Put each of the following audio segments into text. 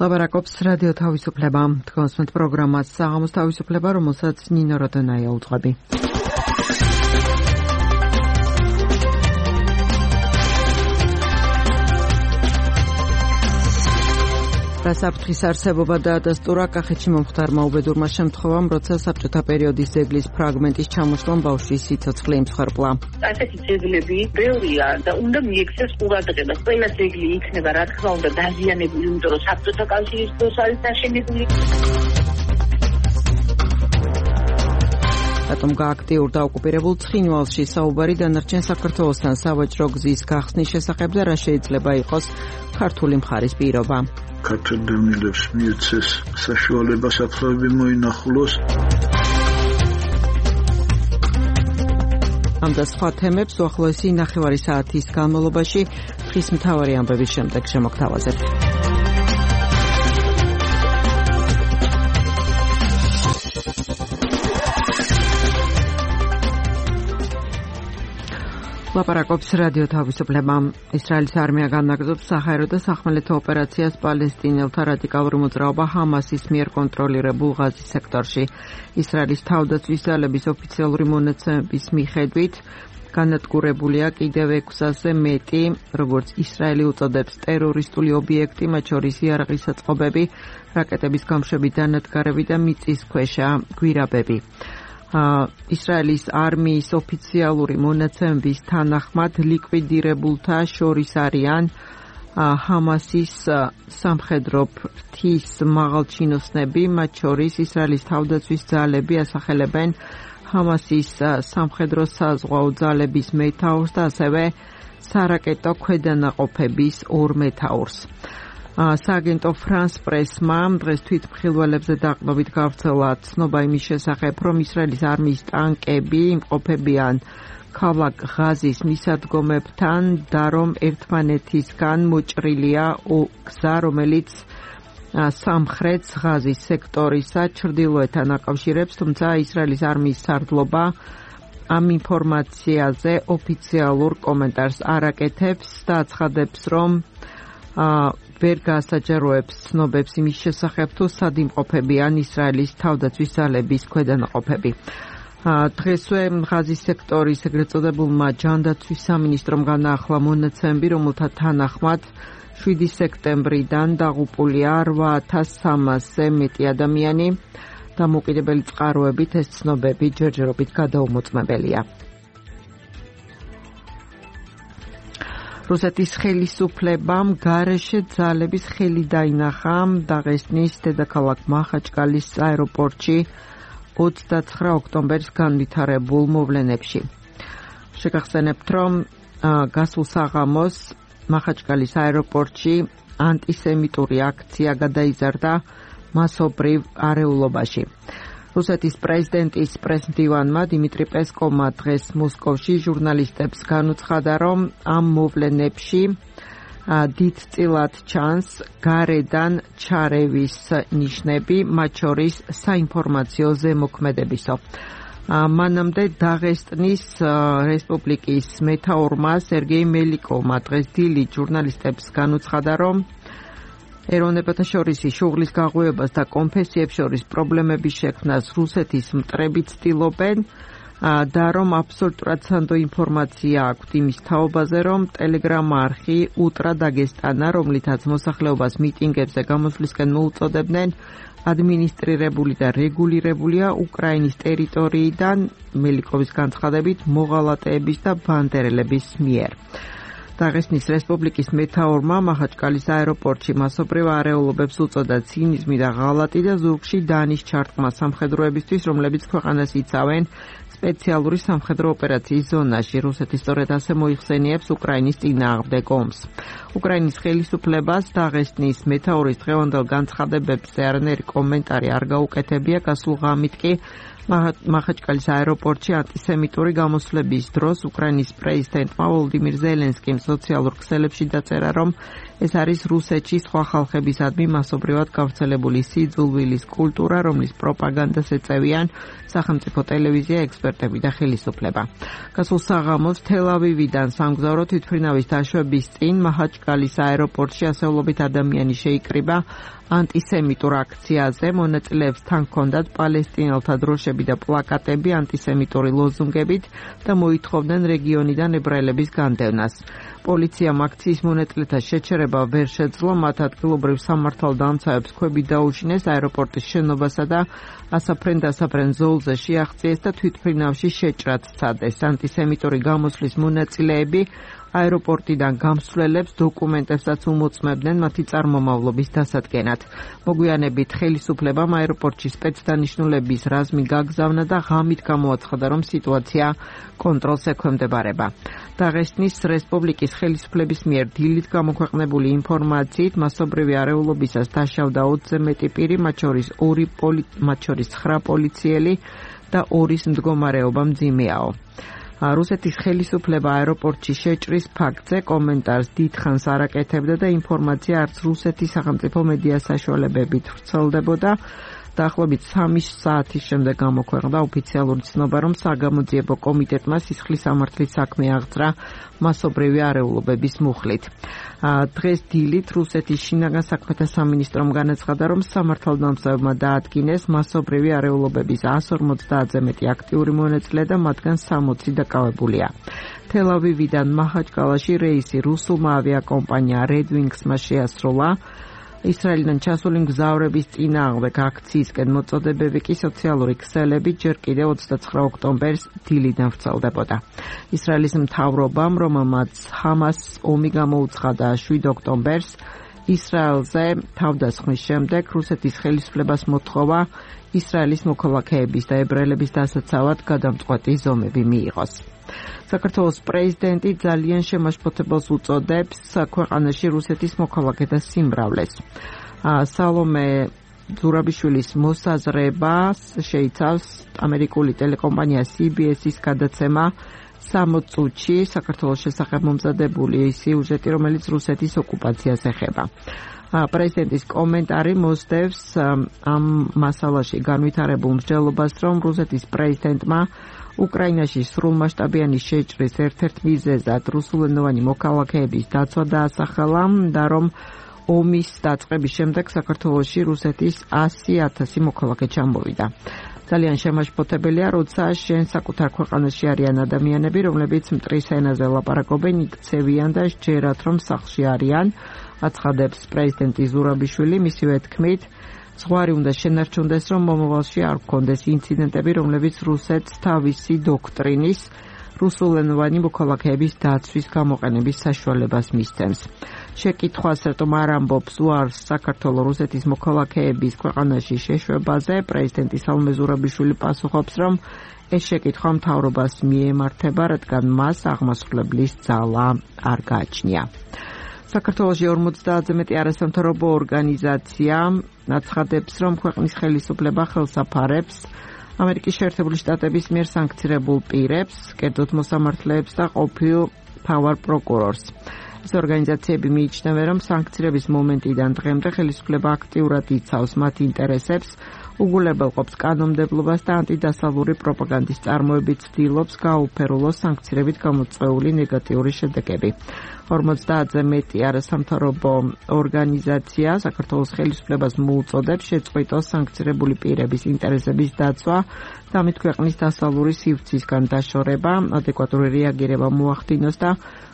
ლაპარაკობს რადიო თავისუფლება. თქვენს პროგრამას საღამოს თავისუფლება, რომელსაც ნინო როდონაია უძღვები. საფრთხის არსებობა დაადასტურა კახეთში მომხდარმა უბედურმა შემთხვევამ, როცა საბჭოთა პერიოდის ძეგლის ფრაგმენტის ჩამოშლამ ბავშვის სიცოცხლე იმსხვერპლა. ასეთი ძეგლები ბევრია და უნდა მიექცეს ყურადღება. ყველა ძეგლი იქნება რა თქმა უნდა დაზიანებული, იმიტომ რომ საბჭოთა კავშირის დროს არის დაშენებული. რატომ გააქტიურ და ოკუპირებულ ცხინვალში საუბარი დანარჩენ საქართველოსთან სავაჭრო გზის გახსნის შესახებ და რა შეიძლება იყოს ქართული მხარის პირობა. ქართველ დევნილებს მიეცეს საშუალება საფრთხეები მოინახულოს. ამ და სხვა თემებს უახლოესი ნახევარი საათის განმავლობაში დღის მთავარი ამბების შემდეგ შემოგთავაზებთ. ლაპარაკობს რადიო თავისუფლება. ისრაელის არმია განაგრძობს საჰაერო და სახმელეთო ოპერაციას პალესტინელთა რადიკალური მოძრაობა ჰამასის მიერ კონტროლირებულ ღაზის სექტორში. ისრაელის თავდაცვის ძალების ოფიციალური მონაცემების მიხედვით განადგურებულია კიდევ 600-ზე მეტი, როგორც ისრაელი უწოდებს, ტერორისტული ობიექტი, მათ შორის იარაღის საწყობები, რაკეტების გამშვები, დანადგარები და მიწისქვეშა გვირაბები. ისრაელის არმიის ოფიციალური მონაცემების თანახმად ლიკვიდირებულთა შორის არიან ჰამასის სამხედრო ფრთის მაღალჩინოსნები, მათ შორის ისრაელის თავდაცვის ძალები ასახელებენ ჰამასის სამხედრო საზღვაო ძალების მეთაურს და ასევე სარაკეტო ქვედანაყოფების 2 მეთაურს. სააგენტო France Press-მა დღეს თვითმხილველებზე დაყრდნობით გავრცელა ცნობა იმის შესახებ, რომ ისრაელის არმიის ტანკები იმყოფებიან ქალაქ ღაზის მისადგომებთან და რომ ერთმანეთისგან მოჭრილია გზა, რომელიც სამხრეთ ღაზის სექტორისა ჩრდილოეთთან აკავშირებს, თუმცა ისრაელის არმიის სარდლობა ამ ინფორმაციაზე ოფიციალურ კომენტარს არ აკეთებს და აცხადებს, რომ ვერ გაასაჯაროებს ცნობებს იმის შესახებ, თუ სად იმყოფებიან ისრაელის თავდაცვის ძალების ქვედანაყოფები. დღესვე ღაზის სექტორის ეგრეთ წოდებულმა ჯანდაცვის სამინისტრომ განაახლა მონაცემები, რომელთა თანახმად 7 სექტემბრიდან დაღუპულია 8300-ზე მეტი ადამიანი. დამოუკიდებელი წყაროებით ეს ცნობები ჯერჯერობით გადაუმოწმებელია. რუსეთის ხელისუფლებამ გარეშე ძალების ხელი დაინახა დაღესტნის დედაქალაქ მახაჩკალის აეროპორტში 29 ოქტომბერს განვითარებულ მოვლენებში. შეგახსენებთ, რომ გასულ საღამოს მახაჩკალის აეროპორტში ანტისემიტური აქცია გადაიზარდა მასობრივ არეულობაში. რუსეთის პრეზიდენტის პრესმდივანმა დიმიტრი პესკოვმა დღეს მოსკოვში ჟურნალისტებს განუცხადა, რომ ამ მოვლენებში დიდწილად ჩანს გარედან ჩარევის ნიშნები, მათ შორის საინფორმაციო ზემოქმედებისო. მანამდე დაღესტნის რესპუბლიკის მეთაურმა სერგეი მელიკოვმა დღეს დილით ჟურნალისტებს განუცხადა, რომ ეროვნებათა შორის შუღლის გაღვივებას და კონფესიებს შორის პრობლემების შექმნას რუსეთის მტრები ცდილობენ და რომ აბსოლუტურად სანდო ინფორმაცია აქვთ იმის თაობაზე, რომ ტელეგრამ არხი ულტრა დაგესტანა, რომლითაც მოსახლეობას მიტინგებზე გამოსვლისკენ მოუწოდებდნენ, ადმინისტრირებული და რეგულირებულია უკრაინის ტერიტორიიდან, მელიკოვის განცხადებით, მოღალატეების და ბანდერელების მიერ. დაღესტნის რესპუბლიკის მეთაურმა მახაჩკალის აეროპორტში მასობრივ არეულობებს უწოდა ცინიზმი და ღალატი და ზურგში დანის ჩარტყმა სამხედროებისთვის, რომლებიც ქვეყანას იცავენ სპეციალური სამხედრო ოპერაციის ზონაში. რუსეთი სწორედ ასე მოიხსენიებს უკრაინის წინააღმდეგ ომს. უკრაინის ხელისუფლებას დაღესტნის მეთაურის დღევანდელ განცხადებებზე არანაირი კომენტარი არ გაუკეთებია. გასულ ღამით კი მახაჩკალის აეროპორტში ანტისემიტური გამოსვლების დროს უკრაინის პრეზიდენტმა ვოლოდიმირ ზელენსკიმ სოციალურ ქსელებში დაწერა, რომ ეს არის რუსეთში სხვა ხალხებისადმი მასობრივად გავრცელებული სიძულვილის კულტურა, რომლის პროპაგანდას ეწევიან სახელმწიფო ტელევიზია, ექსპერტები და ხელისუფლება. გასულ საღამოს თელ-ავივიდან სამგზავრო თვითმფრინავის დაშვების წინ მახაჩკალის აეროპორტში ასეულობით ადამიანი შეიკრიბა ანტისემიტურ აქციაზე მონაწილეებს თან ჰქონდათ პალესტინელთა დროშები და პლაკატები ანტისემიტური ლოზუნგებით და მოითხოვდნენ რეგიონიდან ებრაელების განდევნას. პოლიციამ აქციის მონაწილეთა შეჩერება ვერ შეძლო, მათ ადგილობრივ სამართალდამცავებს ქვები დაუშინეს აეროპორტის შენობასა და ასაფრენ-დასაფრენ ზოლზე შეაღწიეს და თვითმფრინავში შეჭრად სცადეს. ანტისემიტური გამოსვლის მონაწილეები აეროპორტიდან გამსვლელებს დოკუმენტებსაც უმოწმებდნენ მათი წარმომავლობის დასადგენად. მოგვიანებით ხელისუფლებამ აეროპორტში სპეცდანიშნულების რაზმი გაგზავნა და ღამით გამოაცხადა, რომ სიტუაცია კონტროლს ექვემდებარება. დაღესტნის რესპუბლიკის ხელისუფლების მიერ დილით გამოქვეყნებული ინფორმაციით მასობრივი არეულობისას დაშავდა 20-ზე მეტი პირი, მათ შორის 9 პოლიციელი და 2-ის მდგომარეობა მძიმეაო. რუსეთის ხელისუფლება აეროპორტში შეჭრის ფაქტზე კომენტარს დიდხანს არ აკეთებდა და ინფორმაცია არც რუსეთის სახელმწიფო მედია საშუალებებით ვრცელდებოდა. დაახლოებით 3 საათის შემდეგ გამოქვეყნდა ოფიციალური ცნობა, რომ საგამოძიებო კომიტეტმა სისხლის სამართლის საქმე აღძრა მასობრივი არეულობების მუხლით. დღეს დილით რუსეთის შინაგან საქმეთა სამინისტრომ განაცხადა, რომ სამართალდამცავებმა დაადგინეს მასობრივი არეულობების 150-ზე მეტი აქტიური მონაწილე და მათგან 60 დაკავებულია. თელ-ავივიდან მაჰაჩკალაში რეისი რუსულმა ავიაკომპანია Red Wings-მა შეასრულა. ისრაელიდან ჩასული მგზავრების წინააღმდეგ აქციისკენ მოწოდებები კი სოციალური ქსელები ჯერ კიდევ 29 ოქტომბერს დილიდან ვრცელდებოდა. ისრაელის მთავრობამ, რომელმაც ჰამასს ომი გამოუცხადა 7 ოქტომბერს, ისრაელზე თავდასხმის შემდეგ რუსეთის ხელისუფლებას მოთხოვა ისრაელის მოქალაქეების და ებრაელების დასაცავად გადამწყვეტი ზომები მიიღოს. საქართველოს პრეზიდენტი ძალიან შემაშფოთებელს უწოდებს ქვეყანაში რუსეთის მოქალაქეთა სიმრავლეს. სალომე ზურაბიშვილის მოსაზრებას შეიცავს ამერიკული ტელეკომპანია CBS-ის გადაცემა 60 წუთში საქართველოს შესახებ მომზადებული სიუჟეტი, რომელიც რუსეთის ოკუპაციას ეხება. პრეზიდენტის კომენტარი მოსდევს ამ მასალაში განვითარებულ მსჯელობას, რომ რუსეთის პრეზიდენტმა უკრაინაში სრულმასშტაბიანი შეჭრის ერთ-ერთ მიზეზად რუსულენოვანი მოქალაქეების დაცვა დაასახელა და რომ ომის დაწყების შემდეგ საქართველოში რუსეთის 100,000 მოქალაქე ჩამოვიდა. ძალიან შემაშფოთებელია, როცა შენ საკუთარ ქვეყანაში არიან ადამიანები, რომლებიც მტრის ენაზე ლაპარაკობენ, იქცევიან და სჯერათ, რომ სახლში არიან, აცხადებს პრეზიდენტი ზურაბიშვილი. მისივე თქმით, ზღვარი უნდა შენარჩუნდეს, რომ მომავალში არ გქონდეს ინციდენტები, რომლებიც რუსეთს თავისი დოქტრინის რუსულენოვანი მოქალაქეების დაცვის გამოყენების საშუალებას მისცემს. შეკითხვას, რატომ არ ამბობს უარს საქართველოს რუსეთის მოქალაქეების ქვეყანაში შეშვებაზე, პრეზიდენტი სალომე ზურაბიშვილი პასუხობს, რომ ეს შეკითხვა მთავრობას მიემართება, რადგან მას აღმასრულებლის ძალა არ გააჩნია. საქართველოში 50-ზე მეტი არასამთავრობო ორგანიზაცია აცხადებს, რომ ქვეყნის ხელისუფლება ხელს აფარებს ამერიკის შეერთებული შტატების მიერ სანქცირებულ პირებს, კერძოდ მოსამართლეებს და ყოფილ მთავარ პროკურორს. ეს ორგანიზაციები მიიჩნევენ, რომ სანქცირების მომენტიდან დღემდე ხელისუფლება აქტიურად იცავს მათ ინტერესებს, უგულებელყოფს კანონმდებლობას და ანტიდასავლური პროპაგანდის წარმოებით ცდილობს გააუფერულოს სანქცირებით გამოწვეული ნეგატიური შედეგები. 50-ზე მეტი არასამთავრობო ორგანიზაცია საქართველოს ხელისუფლებას მოუწოდებს შეწყვიტოს სანქცირებული პირების ინტერესების დაცვა და ამით ქვეყნის დასავლური სივრცისგან დაშორება, ადეკვატური რეაგირება მოახდინოს და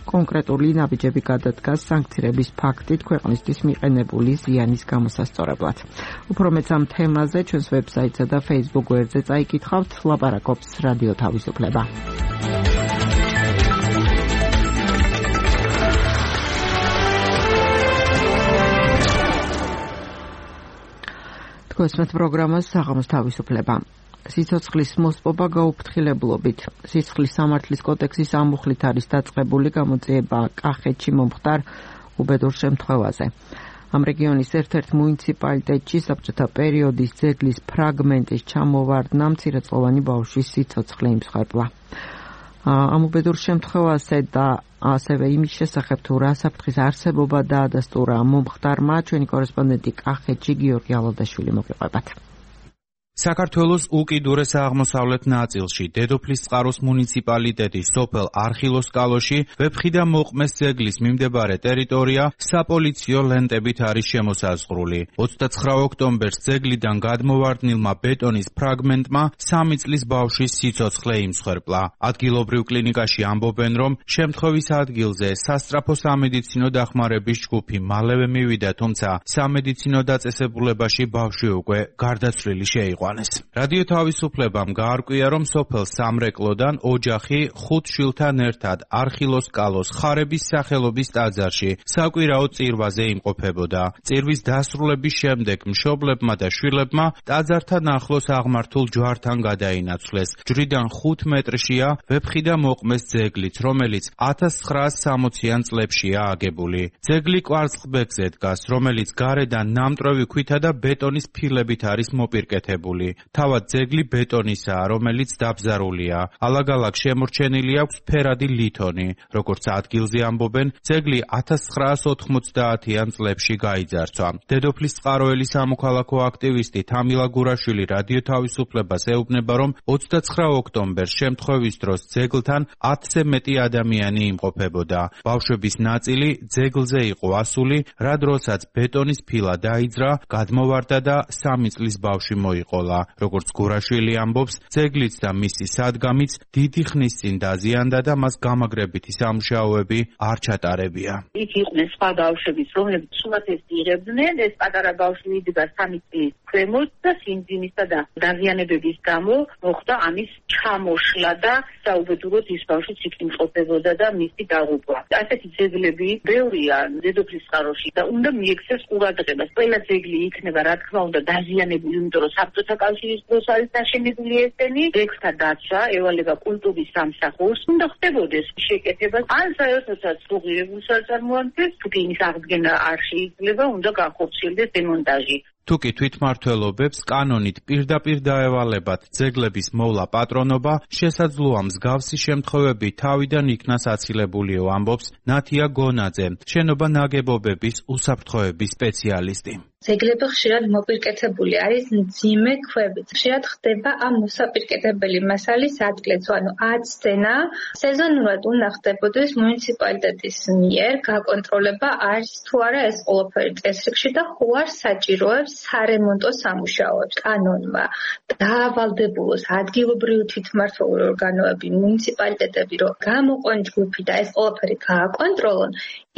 კონკრეტული ნაბიჯები გადადგას სანქცირების ფაქტით ქვეყნისთვის მიყენებული ზიანის გამოსასწორებლად. უფრო მეც ამ თემაზე ჩვენს ვებსაიტსა და Facebook გვერდზე წაიკითხავთ. ლაპარაკობს რადიო თავისუფლება. თქვენს პროგრამას საღამოს თავისუფლება. სიცოცხლის მოსპობა გაუფრთხილებლობით. სისხლის სამართლის კოდექსის ამუხლით არის დაწყებული გამოძიება კახეთში მომხდარ უბედურ შემთხვევაზე. ამ რეგიონის ერთ-ერთ მუნიციპალიტეტში საბჭოთა პერიოდის ძეგლის ფრაგმენტის ჩამოვარდნა მცირეწლოვანი ბავშვის სიცოცხლე იმსხვერპლა. ამ უბედურ შემთხვევაზე და ასევე იმის შესახებ თუ რა საფრთხის არსებობა დაადასტურა მომხდარმა, ჩვენი კორესპონდენტი კახეთში გიორგი ალადაშვილი მოგიყვებათ. საქართველოს უკიდურეს აღმოსავლეთ ნაწილში, დედოფლისწყაროს მუნიციპალიტეტის სოფელ არხილოსკალოში, ვეფხიდა მოყმეს ძეგლის მიმდებარე ტერიტორია საპოლიციო ლენტებით არის შემოსაზღვრული. 29 ოქტომბერს ძეგლიდან გადმოვარდნილმა ბეტონის ფრაგმენტმა 3 წლის ბავშვის სიცოცხლე იმსხვერპლა. ადგილობრივ კლინიკაში ამბობენ, რომ შემთხვევის ადგილზე სასწრაფო სამედიცინო დახმარების ჯგუფი მალევე მივიდა, თუმცა სამედიცინო დაწესებულებაში ბავშვი უკვე გარდაცვლილი შეიყვანეს. რადიო თავისუფლებამ გაარკვია, რომ სოფელ სამრეკლოდან ოჯახი 5 შვილთან ერთად არხილოსკალოს ხარების სახელობის ტაძარში საკვირაო წირვაზე იმყოფებოდა. წირვის დასრულების შემდეგ მშობლებმა და შვილებმა ტაძართან ახლოს აღმართულ ჯვართან გადაინაცვლეს. ჯვრიდან 5 მეტრშია ვეფხიდა მოყმეს ძეგლიც, რომელიც 1960-იან წლებშია აგებული. ძეგლი კვარცხლბეკზე დგას, რომელიც გარედან ნამტვრევი ქვითა და ბეტონის ფილებით არის მოპირკეთებული. თავად ძეგლი ბეტონისაა, რომელიც დაბზარულია. ალაგ-ალაგ შემორჩენილი აქვს ფერადი ლითონი. როგორც ადგილზე ამბობენ, ძეგლი 1990-იან წლებში გაიძარცვა. დედოფლისწყაროელი სამოქალაქო აქტივისტი თამილა გურაშვილი რადიო თავისუფლებას ეუბნება, რომ 29 ოქტომბერს შემთხვევის დროს ძეგლთან 10-ზე მეტი ადამიანი იმყოფებოდა. ბავშვების ნაწილი ძეგლზე იყო ასული, რა დროსაც ბეტონის ფილა დაიძრა, გადმოვარდა და 3 წლის ბავშვი მოიყოლა. როგორც გურაშვილი ამბობს, ძეგლიც და მისი სადგამიც დიდი ხნის წინ დაზიანდა და მას გამაგრებითი სამუშაოები არ ჩატარებია. იქ იყვნენ სხვა ბავშვებიც, რომლებიც სულათეს იღებდნენ, ეს პატარა ბავშვი იდგა 3 წლის ქვემოთ და სიმძიმისა და დაზიანებების გამო მოხდა ამის ჩამოშლა და საუბედუროდ ის ბავშვიც იქ იმყოფებოდა და მისი დაღუპვა. ასეთი ძეგლები ბევრია დედოფლისწყაროში და უნდა მიექცეს ყურადღებას. ყველა ძეგლი იქნება, რა თქმა უნდა, დაზიანებული, იმიტომ რომ საბჭოთა კავშირის დროს არის დაშენებული ესენი, ძეგლთა დაცვა, ევალება კულტურის სამსახურს, უნდა ხდებოდეს შეკეთება. ან საერთოდაც უღირებულ საწარმოადგენს, თუ კი იმის აღდგენა არ შეიძლება, უნდა განხორციელდეს დემონტაჟი. თუკი თვითმმართველობებს კანონით პირდაპირ დაევალებათ ძეგლების მოვლა პატრონობა, შესაძლოა მსგავსი შემთხვევები თავიდან იქნას აცილებულიო, ამბობს ნათია გონაძე, შენობა ნაგებობების უსაფრთხოების სპეციალისტი. ძეგლები ხშირად მოპირკეთებული არის მძიმე ქვებით. ხშირად ხდება ამ მოსაპირკეთებელი მასალის ადგილიც, ანუ აცდენა. სეზონურად უნდა ხდებოდეს მუნიციპალიტეტის მიერ გაკონტროლება, არის თუ არა ეს ყველაფერი წესრიგში და ხო არ საჭიროებს სარემონტო სამუშაოებს. კანონმა დაავალდებულოს ადგილობრივი თვითმმართველი ორგანოები, მუნიციპალიტეტები, რომ გამოყვან ჯგუფი და ეს ყველაფერი გააკონტროლონ,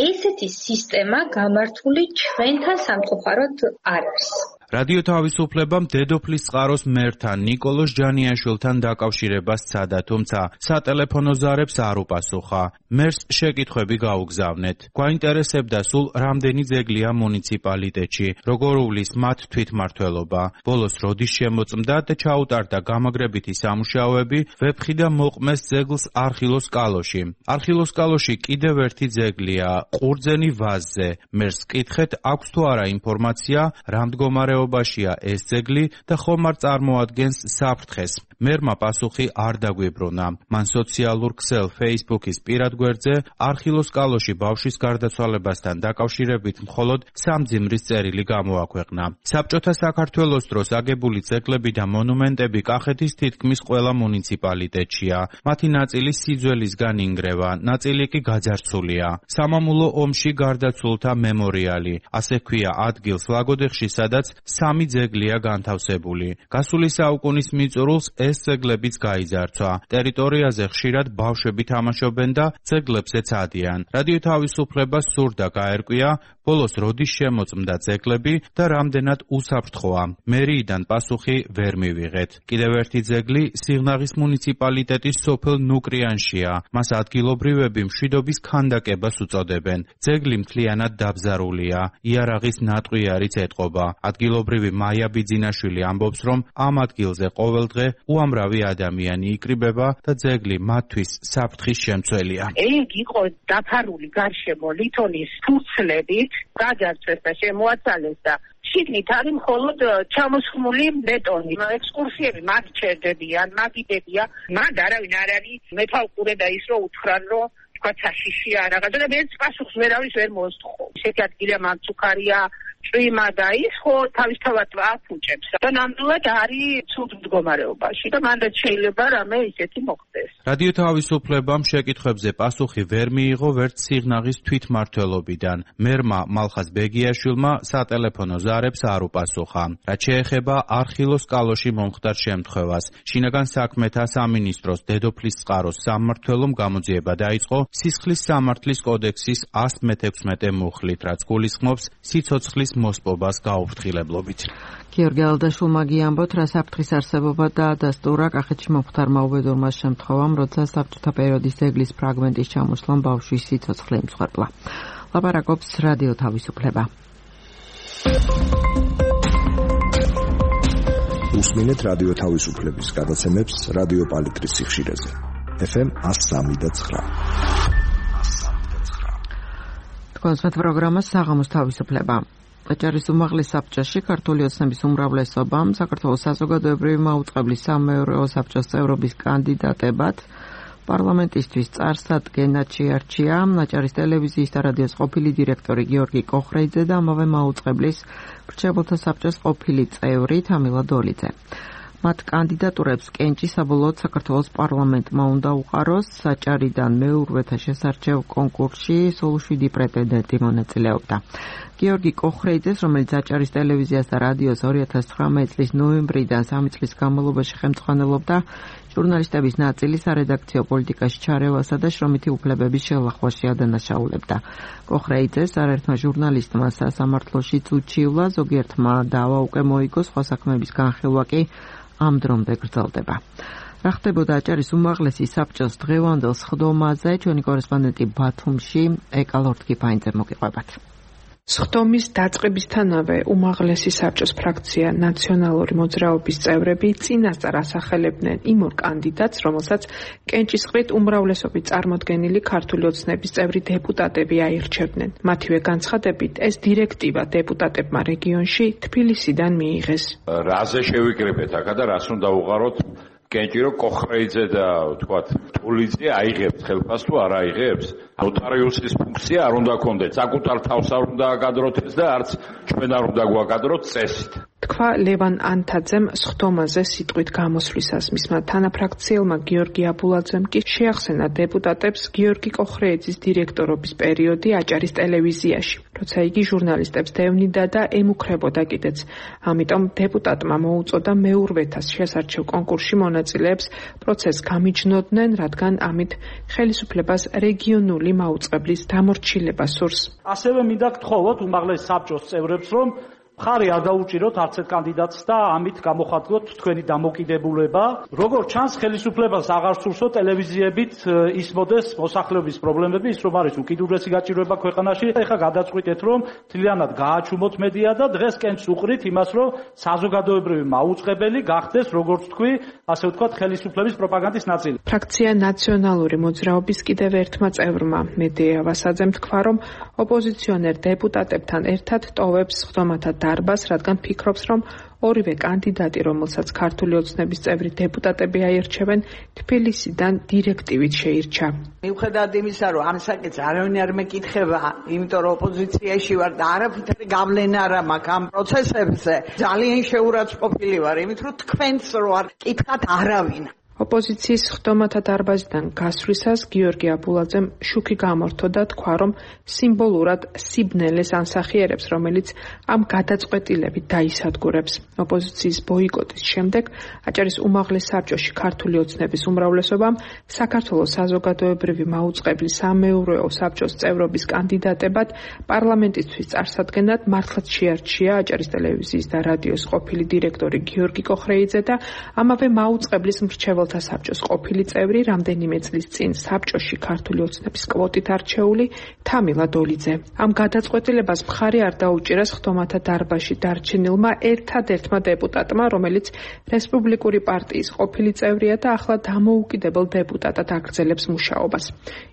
ესეთი სისტემა გამართული ჩვენთან სამწუხაროდ არ არის. რადიო თავისუფლებამ დედოფლისწყაროს მერთან ნიკოლოზ ჯანიაშვილთან დაკავშირებას სცადა, თუმცა სატელეფონო ზარებს არ უპასუხა. მერს შეკითხვები გაუგზავნეთ. გვაინტერესებდა სულ რამდენი ძეგლია მუნიციპალიტეტში, როგორ უვლის მათ თვითმმართველობა, ბოლოს როდის შემოწმდა და ჩაუტარდა გამაგრებითი სამუშაოები ვეფხიდა მოყმეს ძეგლს არხილოსკალოში. არხილოსკალოში კიდევ ერთი ძეგლია ყურძენი ვაზზე. მერს კითხეთ, აქვს თუ არა ინფორმაცია, რა მდგომარეობაშია ეს ძეგლი და ხომ არ წარმოადგენს საფრთხეს. მერმა პასუხი არ დაგვიბრუნა. მან სოციალურ ქსელ Facebook-ის პირად გვერდზე არხილოსკალოში ბავშვის გარდაცვალებასთან დაკავშირებით მხოლოდ სამძიმრის წერილი გამოაქვეყნა. საბჭოთა საქართველოს დროს აგებული ძეგლები და მონუმენტები კახეთის თითქმის ყველა მუნიციპალიტეტშია. მათი ნაწილი სიძველისგან ინგრევა, ნაწილი კი გაძარცულია. სამამულო ომში გარდაცვლულთა მემორიალი, ასე ჰქვია ადგილს ლაგოდეხში, სადაც 3 ძეგლია განთავსებული. გასული საუკუნის მიწურულს ეს ძეგლებიც გაიძარცვა. ტერიტორიაზე ხშირად ბავშვები თამაშობენ და ძეგლებზეც ადიან. რადიო თავისუფლებას სურდა გაერკვია, ბოლოს როდის შემოწმდა ძეგლები და რამდენად უსაფრთხოა. მერიიდან პასუხი ვერ მივიღეთ. კიდევ ერთი ძეგლი სიღნაღის მუნიციპალიტეტის სოფელ ნუკრიანშია. მას ადგილობრივები მშვიდობის ქანდაკებას უწოდებენ. ძეგლი მთლიანად დაბზარულია. იარაღის ნატყვიარიც ეტყობა. ადგილობრივი მაია ბიძინაშვილი ამბობს, რომ ამ ადგილზე ყოველდღე უამრავი ადამიანი იკრიბება და ძეგლი მათთვის საფრთხის შემცველია. ეგ იყო დაფარული გარშემო ლითონის ფურცლებით, გაძარცვეს და შემოაცალეს და შიგნით არის მხოლოდ ჩამოსხმული ბეტონი. ექსკურსიები მათ ჩერდებიან, მაგიდებია, მათ არავინ არ არის მეთვალყურე და ის რომ უთხრან, რომ თქვა საშიშია რაღაცა და მეც პასუხს ვერავის ვერ მოსთხოვ. ისეთი ადგილია მანცუქარია, წვიმა და ის ხო თავისთავად აფუჭებს და ნამდვილად არის ცუდ მდგომარეობაში და მანდაც შეიძლება რამე ისეთი მოხდეს. რადიო თავისუფლებამ შეკითხვებზე პასუხი ვერ მიიღო ვერც სიღნაღის თვითმმართველობიდან. მერმა მალხაზ ბეგიაშვილმა სატელეფონო ზარებს არ უპასუხა. რაც შეეხება არხილოს კალოში მომხდარ შემთხვევას, შინაგან საქმეთა სამინისტროს დედოფლის წყაროს სამმართველომ გამოძიება დაიწყო სისხლის სამართლის კოდექსის 116 მუხლით, რაც გულისხმობს სიცოცხლის მოსპობას გაუფრთხილებლობით. გიორგი ალდაშვილმა გიამბოთ, რა საფრთხის არსებობა და დასტურა კახეთში მომხდარმა უბედურმა შემთხვევამ, როცა საბჭოთა პერიოდის ძეგლის ფრაგმენტის ჩამოსვლამ ბავშვის სიცოცხლე იმსხვერპლა. ლაპარაკობს რადიო თავისუფლება. უსმინეთ რადიო თავისუფლების გადაცემებს რადიო პალიტრის სიხშირეზე. FM 103.9. თქვენს პროგრამას საღამოს თავისუფლება. აჭარის უმაღლეს საბჭოში ქართული ოცნების უმრავლესობამ საქართველოს საზოგადოებრივი მაუწყებლის სამეურვეო საბჭოს წევრობის კანდიდატებად პარლამენტისთვის წარსადგენად შეარჩია აჭარის ტელევიზიის და რადიოს ყოფილი დირექტორი გიორგი კოხრეიძე და ამავე მაუწყებლის მრჩეველთა საბჭოს ყოფილი წევრი თამილა დოლიძე. მათ კანდიდატურებს კენჭი საბოლოოდ საქართველოს პარლამენტმა უნდა უყაროს. აჭარიდან მეურვეთა შესარჩევ კონკურსში სულ 7 პრეტენდენტი მონაწილეობდა. გიორგი კოხრეიძეს, რომელიც აჭარის ტელევიზიას და რადიოს 2019 წლის ნოემბრიდან 3 წლის განმავლობაში ხელმძღვანელობდა ჟურნალისტების ნაწილი სარედაქციო პოლიტიკაში ჩარევასა და შრომითი უფლებების შელახვაში ადანაშაულებდა. კოხრეიძეს არაერთმა ჟურნალისტმა სასამართლოში უჩივლა, ზოგიერთმა დავა უკვე მოიგო, სხვა საქმეების განხილვა კი ამ დრომდე გრძელდება. რა ხდებოდა აჭარის უმაღლესი საბჭოს დღევანდელ სხდომაზე, ჩვენი კორესპონდენტი ბათუმში ეკალორთკიფაინძე მოგიყვებათ. სხდომის დაწყებისთანავე უმაღლესი საბჭოს ფრაქცია ნაციონალური მოძრაობის წევრები წინასწარ ასახელებდნენ იმ ორ კანდიდატს, რომელსაც კენჭისყრით უმრავლესობით წარმოდგენილი ქართული ოცნების წევრი დეპუტატები აირჩევდნენ. მათივე განცხადებით, ეს დირექტივა დეპუტატებმა რეგიონში თბილისიდან მიიღეს. რაზე შევიკრიბეთ აქა და რას უნდა უყაროთ? კენჭირო კოხრეიძე და თქვათ ტულიძე აიღებს ხელფას თუ არ აიღებს? ნოტარიუსის ფუნქცია არ უნდა კონდეთ, საკუთარ თავს არ უნდა აკადროთ და არც ჩვენ არ უნდა გვაკადროთ წესით. თქვა ლევან ანთაძემ სხდომაზე სიტყვით გამოსვლისას. მისმა თანაფრაქციელმა გიორგი აბულაძემ კი შეახსენა დეპუტატებს გიორგი კოხრეიძის დირექტორობის პერიოდი აჭარის ტელევიზიაში, როცა იგი ჟურნალისტებს დევნიდა და ემუქრებოდა კიდეც. ამიტომ დეპუტატმა მოუწოდა მეურვეთას შესარჩევ კონკურსში მონაწილეებს პროცესს გამიჯნობდნენ, რადგან ამით ხელისუფლებას რეგიონული მაუწყებლის დამორჩილება სურს. ასევე მინდა გთხოვოთ უმაღლეს საბჭოს წევრებს, რომ მხარი არ დაუჭიროთ არც ერთ კანდიდატს და ამით გამოხატოთ თქვენი დამოკიდებულება. როგორც ჩანს, ხელისუფლებას აღარ სურსო ტელევიზიებით ისმოდეს მოსახლეობის პრობლემები, ის რომ არის უკიდურესი გაჭირვება ქვეყანაში. ეხლა გადაწყვიტეთ, რომ თლიანად გააჩუმოთ მედია და დღეს კენჭს უყრით იმას, რომ საზოგადოებრივი მაუწყებელი გახდეს, როგორც თქვი, ასე ვთქვათ, ხელისუფლების პროპაგანდის ნაწილი. ფრაქცია ნაციონალური მოძრაობის კიდევ ერთმა წევრმა მედია ვასაძემ თქვა, რომ ოპოზიციონერ დეპუტატებთან ერთად ტოვებს სხდომათა დარბას, რადგან ფიქრობს, რომ ორივე კანდიდატი, რომელსაც ქართული ოცნების წევრი დეპუტატები აირჩევენ, თბილისიდან დირექტივით შეირჩა. მიუხედავად იმისა, რომ ამ საკითხს არავინ არ მეკითხება, იმიტომ რომ ოპოზიციაში ვარ და არაფერი გავლენა არ მაქვს ამ პროცესებზე, ძალიან შეურაცხყოფილი ვარ, იმით რომ თქვენს რო არ კითხათ არავინ. ოპოზიციის სხდომათა დარბაზიდან გასვლისას გიორგი აბულაძემ შუქი გამორთო და თქვა, რომ სიმბოლურად სიბნელეს ანსახიერებს, რომელიც ამ გადაწყვეტილებით დაისადგურებს. ოპოზიციის ბოიკოტის შემდეგ აჭარის უმაღლეს საბჭოში ქართული ოცნების უმრავლესობამ საქართველოს საზოგადოებრივი მაუწყებლის სამეურვეო საბჭოს წევრობის კანდიდატებად პარლამენტისთვის წარსადგენად მართლაც შეარჩია აჭარის ტელევიზიის და რადიოს ყოფილი დირექტორი გიორგი კოხრეიძე და ამავე მაუწყებლის მრჩეველთა საბჭოს ყოფილი წევრი რამდენიმე წლის წინ საბჭოში ქართული ოცნების კვოტით არჩეული თამილა დოლიძე. ამ გადაწყვეტილებას მხარი არ დაუჭირა სხდომათა დარბაზში დარჩენილმა ერთადერთმა დეპუტატმა, რომელიც რესპუბლიკური პარტიის ყოფილი წევრია და ახლა დამოუკიდებელ დეპუტატად აგრძელებს მუშაობას.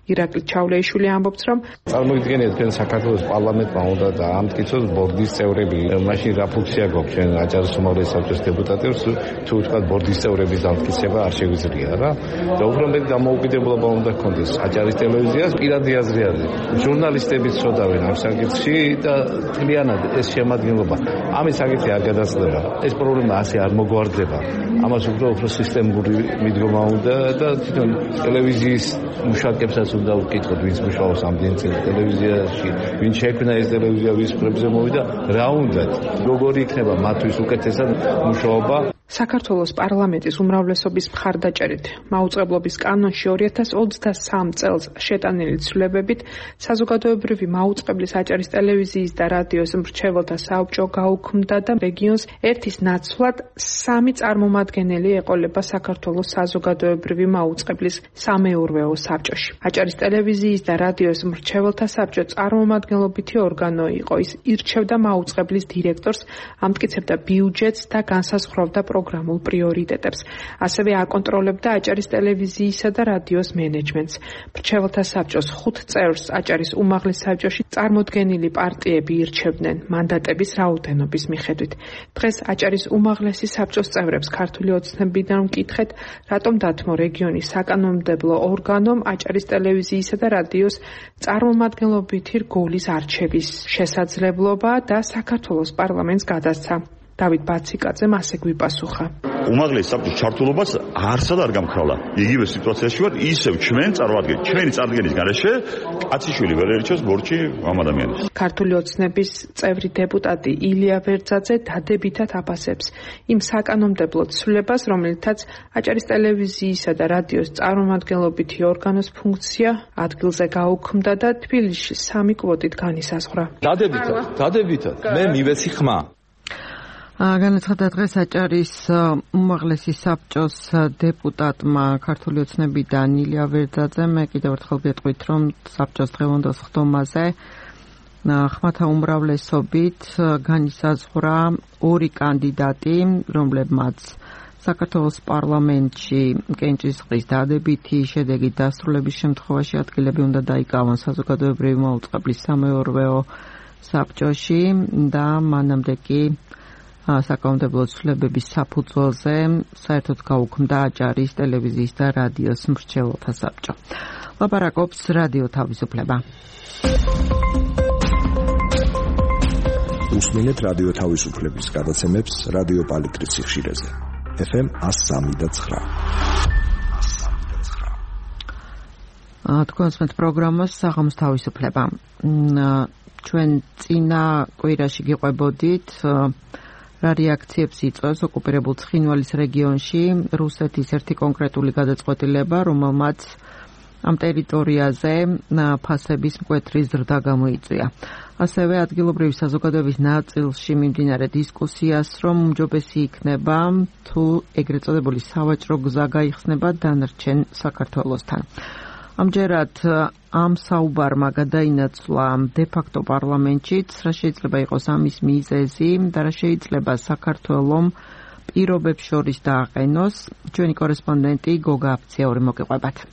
ირაკლი ჩავლეიშვილი ამბობს, რომ წარმოგიდგენიათ, თქვენ საქართველოს პარლამენტმა უნდა დაამტკიცოს ბორდის წევრები. მაშინ რა ფუნქცია გვაქვს ჩვენ აჭარის უმაღლეს საბჭოს დეპუტატებს, თუ ვთქვათ ბორდის წევრების დამტკიცება არ შეგვიძლია რა და უფრო მეტ დამოუკიდებლობა უნდა გქონდეს აჭარის ტელევიზიას პირადი აზრი არის ჟურნალისტებიც ცოტავენ ამ საკითხში და მთლიანად ეს შემადგენლობა ამის საკითხი არ გადაწყვეტა ეს პრობლემა ასე არ მოგვარდება ამას უფრო სისტემური მიდგომა უნდა და თვითონ ტელევიზიის მუშაკებსაც უნდა ვკითხოთ ვინც მუშაობს ამდენი წელი ტელევიზიაში ვინ შექმნა ეს ტელევიზია ვის პრებზე მოვიდა რა უნდათ როგორი იქნება მათთვის უკეთესად მუშაობა საქართველოს პარლამენტის უმრავლესობის მხარდაჭერით მაუწყებლობის კანონში 2023 წელს შეტანილი ცვლილებებით საზოგადოებრივი მაუწყებლის აჭარის ტელევიზიის და რადიოს მრჩეველთა სასაბჭო გაუქმდა და რეგიონს ერთის ნაცვლად 3 წარმომადგენელი ეყოლება საქართველოს საზოგადოებრივი მაუწყებლის სამეურვეო საბჭოში. აჭარის ტელევიზიის და რადიოს მრჩეველთა საბჭო წარმომადგენლობითი ორგანო იყო. ის ირჩევდა მაუწყებლის დირექტორს, ამტკიცებდა ბიუჯეტს და განსაზღვრავდა პროგრამულ პრიორიტეტებს. ასევე აკონტროლებდა აჭარის ტელევიზიისა და რადიოს მენეჯმენტს. მრჩეველთა საბჭოს 5 წევრს აჭარის უმაღლეს საბჭოში წარმოდგენილი პარტიები ირჩევდნენ მანდატების რაოდენობის მიხედვით. დღეს აჭარის უმაღლესი საბჭოს წევრებს ქართული ოცნებიდან ვკითხეთ, რატომ დათმო რეგიონის საკანონმდებლო ორგანომ აჭარის ტელევიზიისა და რადიოს წარმომადგენლობითი რგოლის არჩევის შესაძლებლობა და საქართველოს პარლამენტს გადასცა. დავით ბაციკაძემ ასე გვიპასუხა. უმაღლესი საბჭოს ჩართულობას არსად არ გამქრავდა. იგივე სიტუაციაში ვართ, ისევ ჩვენ წარმოვადგენთ, ჩვენი წარდგენის გარეშე კაციშვილი ვერ ერჩევს ბორჩი ამ ადამიანს. ქართული ოცნების წევრი დეპუტატი ილია ვერძაძე დადებითად აფასებს იმ საკანონმდებლო ცვლილებას, რომელთაც აჭარის ტელევიზიისა და რადიოს წარმომადგენლობითი ორგანოს ფუნქცია ადგილზე გაუქმდა და თბილისში 3 კვოტით განისაზღვრა. დადებითად მე მივეცი ხმა. განაცხადა დღეს აჭარის უმაღლესი საბჭოს დეპუტატმა ქართული ოცნებიდან ილია ვერძაძემ კიდევ ერთხელ გეტყვით, რომ საბჭოს დღევანდელ ხდომაზე ხმათა უმრავლესობით განისაზღვრა 2 კანდიდატი, რომლებმაც საქართველოს პარლამენტში კენჭისყრის დადებითი შედეგით დასრულების შემთხვევაში ადგილები უნდა დაიკავონ საზოგადოებრივი მაუწყებლის სამეურვეო საბჭოში და მანამდე კი საკანონმდებლო ცვლილებების საფუძველზე საერთოდ გაუქმდა აჭარის ტელევიზიის და რადიოს მრჩეველთა საბჭო. ლაპარაკობს რადიო თავისუფლება. უსმენთ რადიო თავისუფლების გადაცემებს რადიო პალიტრის სიხშირეზე. FM 103.9. თქვენ უსმენთ პროგრამას საღამოს თავისუფლება. ჩვენ წინა კვირაში გიყვებოდით რა რეაქციებს იწვევს ოკუპირებულ ცხინვალის რეგიონში რუსეთის ერთი კონკრეტული გადაწყვეტილება, რომელმაც ამ ტერიტორიაზე ფასების მკვეთრი ზრდა გამოიწვია. ასევე ადგილობრივი საზოგადოების ნაწილში მიმდინარე დისკუსიას, რომ უმჯობესი იქნება თუ ეგრეთ წოდებული სავაჭრო გზა გაიხსნება დანარჩენ საქართველოსთან. ამჯერად ამ საუბარმა გადაინაცვლა დე-ფაქტო პარლამენტშიც, რა შეიძლება იყოს ამის მიზეზი და რა შეიძლება საქართველომ პირობებს შორის დააყენოს. ჩვენი კორესპონდენტი გოგა აფციაური მოგიყვებათ.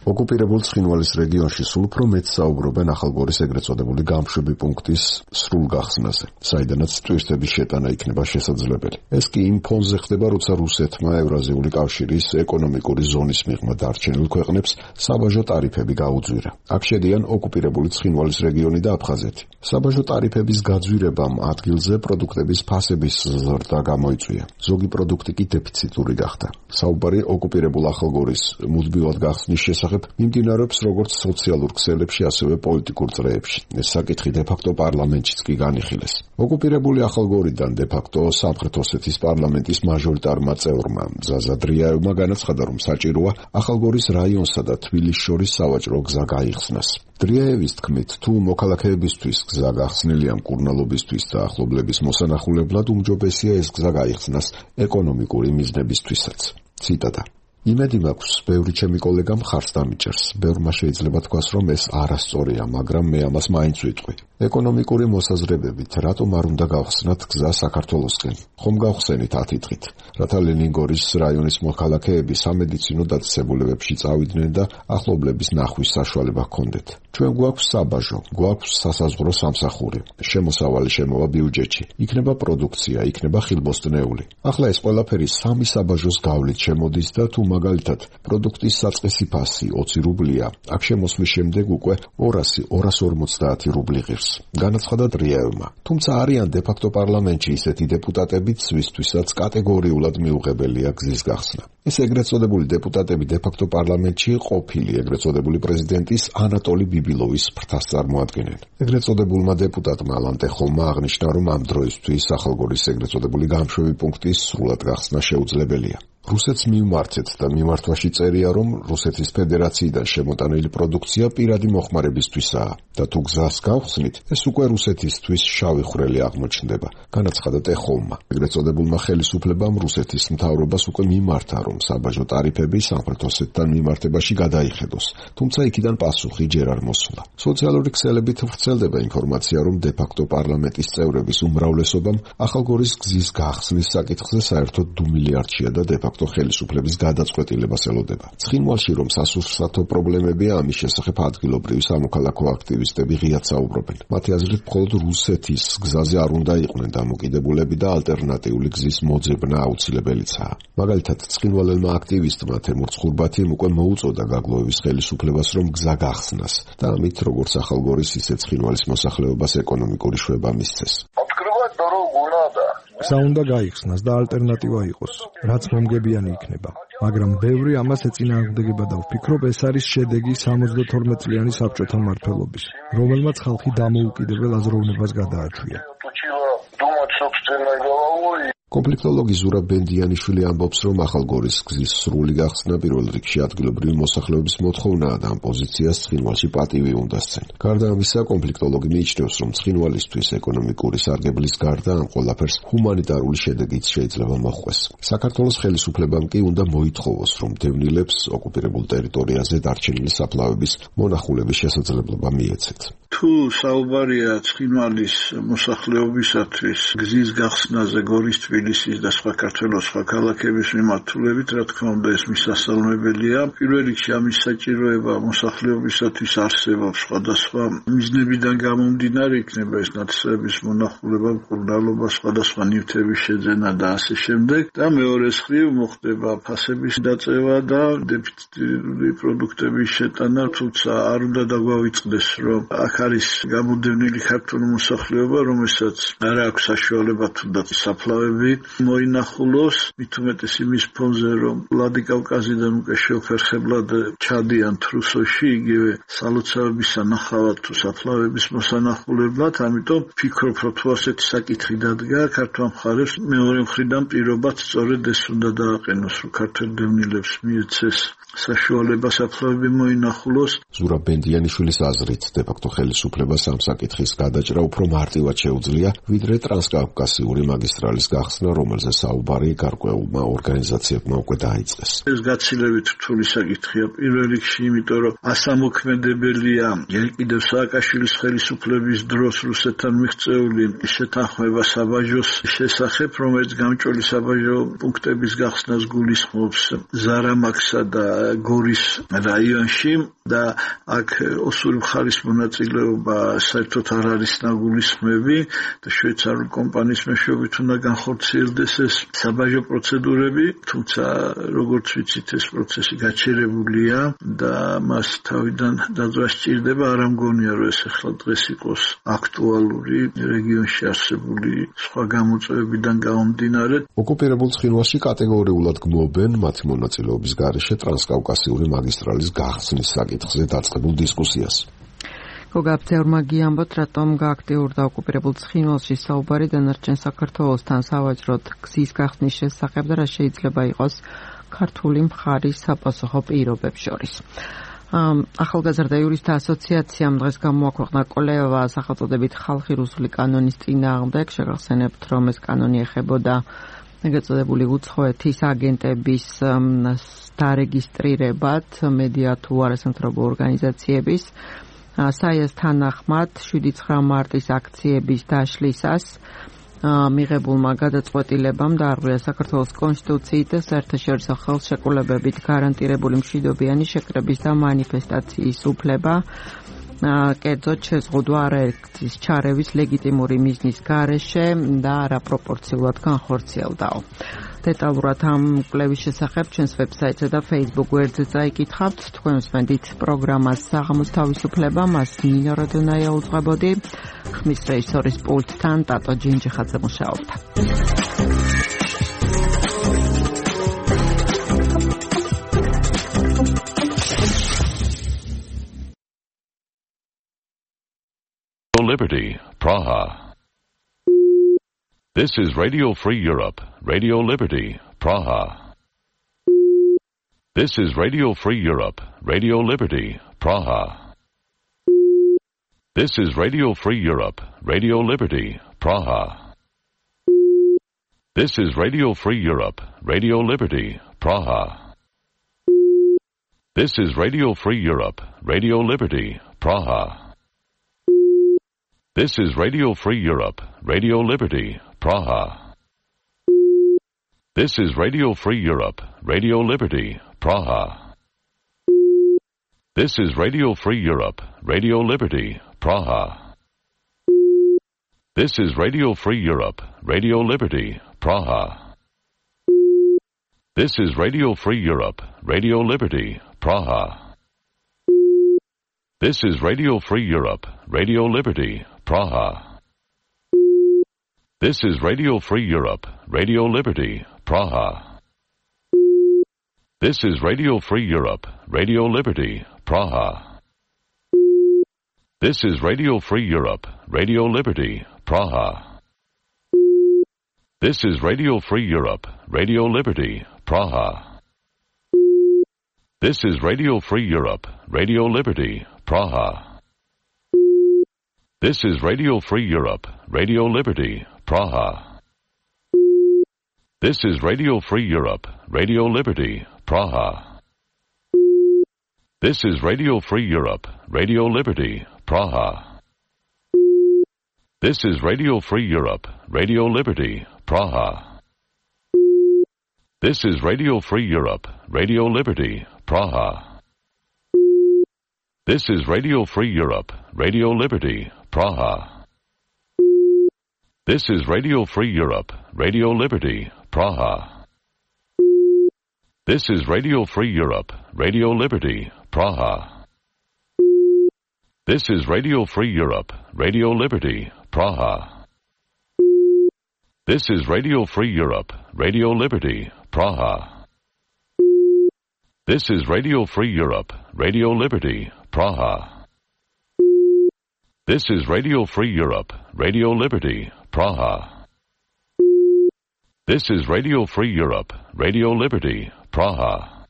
ოკუპირებულ ცხინვალის რეგიონში სულ უფრო მეტ საუბრობენ ახალგორის ეგრეთ წოდებული გამშვები პუნქტის სრულ გახსნაზე, საიდანაც ტურისტების შეტანა იქნება შესაძლებელი. ეს კი იმ ფონზე ხდება, როცა რუსეთმა ევრაზიული კავშირის ეკონომიკური ზონის მიღმა დარჩენილ ქვეყნებს საბაჟო ტარიფები გაუძვირა. აქ შედიან ოკუპირებული ცხინვალის რეგიონი და აფხაზეთი. საბაჟო ტარიფების გაძვირებამ ადგილზე პროდუქტების ფასების ზრდა გამოიწვია. ზოგი პროდუქტი კი დეფიციტური გახდა. საუბარი ოკუპირებულ ახალგორის მუდმივად გახსნის შესახებ მიმდინარეობს როგორც სოციალურ ქსელებში, ასევე პოლიტიკურ წრეებში. ეს საკითხი დე-ფაქტო პარლამენტშიც კი განიხილეს. ოკუპირებული ახალგორიდან დე-ფაქტო სამხრეთ ოსეთის პარლამენტის მაჟორიტარმა წევრმა ზაზა დრიაევმა განაცხადა, რომ საჭიროა ახალგორის რაიონსა და თბილისს შორის სავაჭრო გზა გაიხსნას. დრიაევის თქმით, თუ მოქალაქეებისთვის გზა გახსნილია მკურნალობისთვის და ახლობლების მოსანახულებლად, უმჯობესია ეს გზა გაიხსნას ეკონომიკური მიზნებისთვისაც. ციტატა: იმედი მაქვს, ბევრი ჩემი კოლეგა მხარს დამიჭერს. ბევრმა შეიძლება თქვას, რომ ეს არასწორია, მაგრამ მე ამას მაინც ვიტყვი. ეკონომიკური მოსაზრებებით, რატომ არ უნდა გავხსნათ გზა საქართველოსკენ? ხომ გავხსენით 10 დღით, რათა ლენინგორის რაიონის მოქალაქეები სამედიცინო დაწესებულებებში წავიდნენ და ახლობლების ნახვის საშუალება ჰქონდეთ. ჩვენ გვაქვს საბაჟო, გვაქვს სასაზღვრო სამსახური, შემოსავალი შემოვა ბიუჯეტში, იქნება პროდუქცია, იქნება ხილბოსტნეული. ახლა ეს ყველაფერი სამი საბაჟოს გავლით შემოდის და თუ მაგალითად პროდუქტის საწყისი ფასი 20 რუბლია, აქ შემოსვლის შემდეგ უკვე 200-250 რუბლი ღირს. განაცხადა დრიაევმა. თუმცა არიან დე-ფაქტო პარლამენტში ისეთი დეპუტატებიც, ვისთვისაც კატეგორიულად მიუღებელია გზის გახსნა. ეს ეგრეთ წოდებული დეპუტატები დე-ფაქტო პარლამენტში ყოფილი ეგრეთ წოდებული პრეზიდენტის ანატოლი ბიბილოვის ფრთას წარმოადგენენ. ეგრეთ წოდებულმა დეპუტატმა ალან ტეხოლმა აღნიშნა, რომ ამ დროისთვის ახალგორის ეგრეთ წოდებული გამშვები პუნქტის სრულად გახსნა შეუძლებელია. რუსეთს მივმართეთ და მიმართვაში წერია, რომ რუსეთის ფედერაციიდან შემოტანილი პროდუქცია პირადი მოხმარებისთვისაა და თუ გზას გავხსნით, ეს უკვე რუსეთისთვის შავი ხვრელი აღმოჩნდება, განაცხადა ტეხოლმა. ეგრეთ წოდებულმა ხელისუფლებამ რუსეთის მთავრობას უკვე მიმართა, რომ საბაჟო ტარიფები სამხრეთ ოსეთთან მიმართებაში გადაიხედოს, თუმცა იქიდან პასუხი ჯერ არ მოსულა. სოციალური ქსელებით ვრცელდება ინფორმაცია, რომ დე-ფაქტო პარლამენტის წევრების უმრავლესობამ ახალგორის გზის გახსნის საკითხზე საერთოდ დუმილიარდშია და დე-ფაქტო ხელისუფლების გადაწყვეტილებას ელოდება. ცხინვალში რომ სასურსათო პრობლემებია, ამის შესახებ ადგილობრივი სამოქალაქო აქტივისტები ღიად საუბრობენ. მათი აზრით, მხოლოდ რუსეთის გზაზე არ უნდა იყვნენ დამოკიდებულები და ალტერნატიული გზის მოძებნა აუცილებელიცაა. მაგალითად, ცხინვალელმა აქტივისტმა თემურ ცხურბათიმ უკვე მოუწოდა გაგლოევის ხელისუფლებას, რომ გზა გახსნას და ამით როგორც ახალგორის, ისე ცხინვალის მოსახლეობას ეკონომიკური შვება მისცეს. გზა უნდა გაიხსნას და ალტერნატივა იყოს, რაც მომგებიანი იქნება. მაგრამ ბევრი ამას ეწინააღმდეგება და ვფიქრობ, ეს არის შედეგი 72 წლიანი საბჭოთა მმართველობის, რომელმაც ხალხი დამოუკიდებელ აზროვნებას გადააჩვია. კონფლიქტოლოგი ზურაბ ბენდიანიშვილი ამბობს, რომ ახალგორის გზის სრული გახსნა პირველ რიგში ადგილობრივი მოსახლეობის მოთხოვნაა და ამ პოზიციას ცხინვალში პატივი უნდა სცენ. გარდა ამისა, კონფლიქტოლოგი მიიჩნევს, რომ ცხინვალისთვის ეკონომიკური სარგებლის გარდა ამ ყველაფერს ჰუმანიტარული შედეგიც შეიძლება მოჰყვეს. საქართველოს ხელისუფლებამ კი უნდა მოითხოვოს, რომ დევნილებს ოკუპირებულ ტერიტორიაზე დარჩენილი საფლავების მონახულების შესაძლებლობა მიეცეთ. თუ საუბარია ცხინვალის მოსახლეობისათვის გზის გახსნაზე გორის, თბილისის და სხვა საქართველოს სხვა ქალაქების მიმართულებით, რა თქმა უნდა, ეს მისასალმებელია. პირველ რიგში ამის საჭიროება მოსახლეობისათვის არსებობს სხვადასხვა მიზნებიდან გამომდინარე, იქნება ეს ნათესების მონახულება, მკურნალობა, სხვადასხვა ნივთების შეძენა და ასე შემდეგ. და მეორე მხრივ მოხდება ფასების დაწევა და დეფიციტური პროდუქტების შეტანა, თუმცა არ უნდა დაგვავიწყდეს, რომ აქ არის გამოდევნილი ქართული მოსახლეობა, რომელსაც არ აქვს საშუალება თუნდაც საფლავები მოინახულოს, მით უმეტეს იმის ფონზე, რომ ვლადიკავკაზიდან უკვე შეუფერხებლად ჩადიან თრუსოში, იგივე სალოცავების სანახავად თუ საფლავების მოსანახულებლად, ამიტომ ფიქრობ, რომ თუ ასეთი საკითხი დადგა, ქართულ მხარეს მეორე მხრიდან პირობად სწორედ ეს უნდა დააყენოს, რომ ქართველ დევნილებს მიეცეს საშუალება საფლავები მოინახულოს. ზურაბ ბენდიანიშვილის აზრით, დე-ფაქტო ხელისუფლებას ამ საკითხის გადაჭრა უფრო მარტივად შეუძლია, ვიდრე ტრანსკავკასიური მაგისტრალის გახსნა, რომელზე საუბარი გარკვეულმა ორგანიზაციებმა უკვე დაიწყეს. ეს გაცილებით რთული საკითხია პირველ რიგში, იმიტომ რომ ასამოქმედებელია კიდევ სააკაშვილის ხელისუფლების დროს რუსეთთან მიღწეული შეთანხმება საბაჟოს შესახებ, რომელიც გამჭოლი საბაჟო პუნქტების გახსნას გულისხმობს ზარამაქსა და გორის რაიონში და აქ ოსური მხარის მონაწილეობა საერთოდ არ არის ნაგულისხმები და შვეიცარიული კომპანიის მეშვეობით უნდა განხორციელდეს ეს საბაჟო პროცედურები, თუმცა როგორც ვიცით ეს პროცესი გაჩერებულია და მას თავიდან დაძრა სჭირდება, არ ამგონია რომ ეს ახლა დღეს იყოს აქტუალური რეგიონში არსებული სხვა გამოწვევებიდან გამომდინარე. ოკუპირებულ ცხინვალში კატეგორიულად გმობენ მათი მონაწილეობის გარეშე ტრანსკავკასიური მაგისტრალის გახსნის საკითხზე დაწყებულ დისკუსიას. გოგაბცევრმა გიამბოთ, რატომ გააქტიურდა ოკუპირებულ ცხინვალში საუბარი დანარჩენ საქართველოსთან სავაჭროდ გზის გახსნის შესახებ და რა შეიძლება იყოს ქართული მხარის საპასუხო პირობებს შორის. ახალგაზრდა იურისტთა ასოციაციამ დღეს გამოაქვეყნა კოლევა სახელწოდებით ხალხი რუსული კანონის წინააღმდეგ. შეგახსენებთ, რომ ეს კანონი ეხებოდა ეგრეთ წოდებული უცხოეთის აგენტების დარეგისტრირებად მედია თუ არასამთავრობო ორგანიზაციების საიას თანახმად 7-9 მარტის აქციების დაშლისას მიღებულმა გადაწყვეტილებამ დაარღვია საქართველოს კონსტიტუციით და საერთაშორისო ხელშეკრულებებით გარანტირებული მშვიდობიანი შეკრების და მანიფესტაციის უფლება. კერძოდ შეზღუდვა არაერთგზის ჩარევის ლეგიტიმური მიზნის გარეშე და არაპროპორციულად განხორციელდაო. დეტალურად ამ კვლევის შესახებ ჩვენს ვებსაიტზე და Facebook გვერდზე წაიკითხავთ. თქვენ უსმენთ პროგრამას საღამოს თავისუფლება, მას ნინო როდონაია უძღვებოდი. ხმის რეჟისორის პულტთან ტატო ჯინჯიხაძე მუშაობდა. Liberty, Praha. This is Radio Free Europe, Radio Liberty, Praha. This is Radio Free Europe, Radio Liberty, Praha. This is Radio Free Europe, Radio Liberty, Praha. This is Radio Free Europe, Radio Liberty, Praha. This is Radio Free Europe, Radio Liberty, Praha. This is Radio Free Europe, Radio Liberty, Praha. This is Radio Free Europe, Radio Liberty, Praha. This is Radio Free Europe, Radio Liberty, Praha. This is Radio Free Europe, Radio Liberty, Praha. This is Radio Free Europe, Radio Liberty, Praha. This is Radio Free Europe, Radio Liberty, Praha. This is Radio Free Europe, Radio Liberty, Praha. This is Radio Free Europe, Radio Liberty, Praha. This is Radio Free Europe, Radio Liberty, Praha. This is Radio Free Europe, Radio Liberty, Praha. This is Radio Free Europe, Radio Liberty, Praha. This is Radio Free Europe, Radio Liberty, Praha. This is Radio Free Europe, Radio Liberty, Praha. This is Radio Free Europe, Radio Liberty, Praha. This is Radio Free Europe, Radio Liberty, Praha. This is Radio Free Europe, Radio Liberty, Praha. This is Radio Free Europe, Radio Liberty, Praha. This is Radio Free Europe, Radio Liberty, Praha. This is Radio Free Europe, Radio Liberty, Praha. This is Radio Free Europe, Radio Liberty, Praha. This is Radio Free Europe, Radio Liberty, Praha. This is Radio Free Europe, Radio Liberty, Praha. This is Radio Free Europe, Radio Liberty, Praha. This is Radio Free Europe, Radio Liberty, Praha.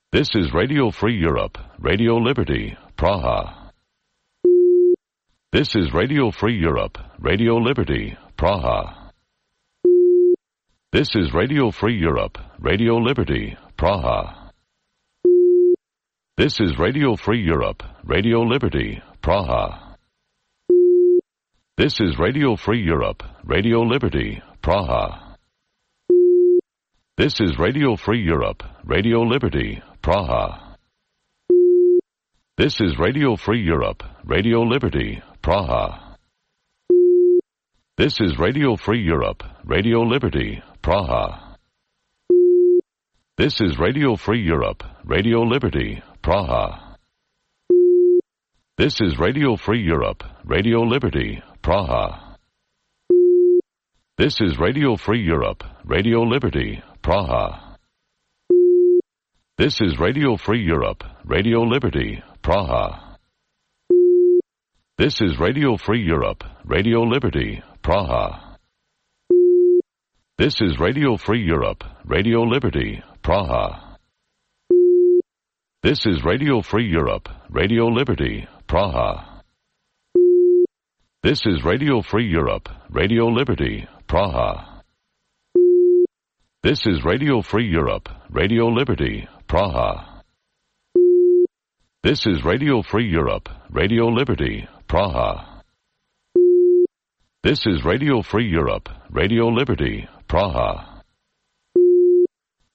This is Radio Free Europe, Radio Liberty, Praha. This is Radio Free Europe, Radio Liberty, Praha. This is Radio Free Europe, Radio Liberty, Praha. This is Radio Free Europe, Radio Liberty, Praha. This is Radio Free Europe, Radio Liberty, Praha. This is Radio Free Europe, Radio Liberty, Praha. This is Radio Free Europe, Radio Liberty, Praha. This is Radio Free Europe, Radio Liberty, Praha. This is Radio Free Europe, Radio Liberty, Praha. This is Radio Free Europe, Radio Liberty, Praha. This is Radio Free Europe, Radio Liberty, Praha. This is Radio Free Europe, Radio Liberty, Praha. This is Radio Free Europe, Radio Liberty, Praha. This is Radio Free Europe, Radio Liberty, Praha. This is Radio Free Europe, Radio Liberty, Praha. This is Radio Free Europe, Radio Liberty, Praha. This is Radio Free Europe, Radio Liberty, Praha. This is Radio Free Europe, Radio Liberty, Praha. This is Radio Free Europe, Radio Liberty, Praha.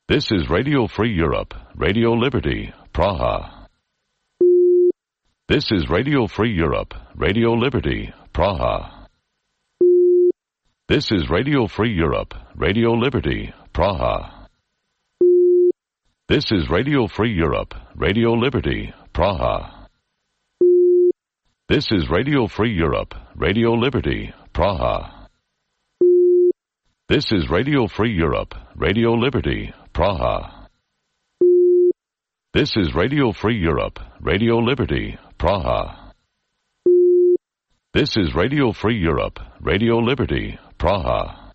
This is Radio Free Europe, Radio Liberty, Praha. This is Radio Free Europe, Radio Liberty, Praha. This is Radio Free Europe, Radio Liberty, Praha. This is Radio Free Europe, Radio Liberty, Praha. This is Radio Free Europe, Radio Liberty, Praha. This is Radio Free Europe, Radio Liberty, Praha. This is Radio Free Europe, Radio Liberty, Praha. This is Radio Free Europe, Radio Liberty, Praha.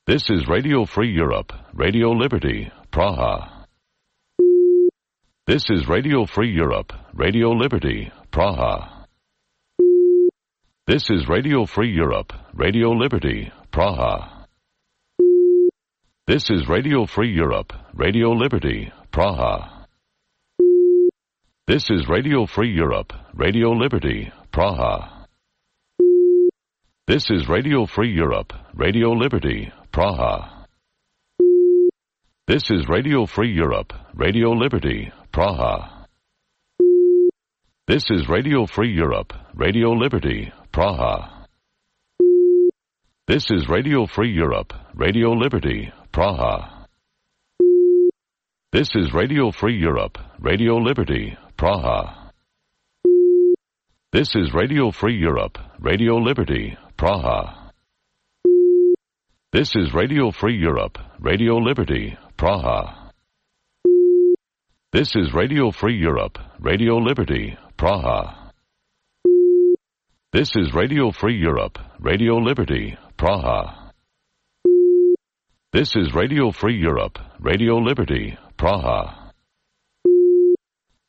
This is Radio Free Europe, Radio Liberty, Praha. This is Radio Free Europe, Radio Liberty, Praha. This is Radio Free Europe, Radio Liberty, Praha. This is Radio Free Europe, Radio Liberty, Praha. This is Radio Free Europe, Radio Liberty, Praha. This is Radio Free Europe, Radio Liberty, Praha. This is Radio Free Europe, Radio Liberty, Praha. This is Radio Free Europe, Radio Liberty, Praha. This is Radio Free Europe, Radio Liberty, Praha. This is Radio Free Europe, Radio Liberty, Praha. This is Radio Free Europe, Radio Liberty, Praha. This is Radio Free Europe, Radio Liberty, Praha. This is Radio Free Europe, Radio Liberty, Praha. This is Radio Free Europe, Radio Liberty, Praha. This is Radio Free Europe, Radio Liberty, Praha.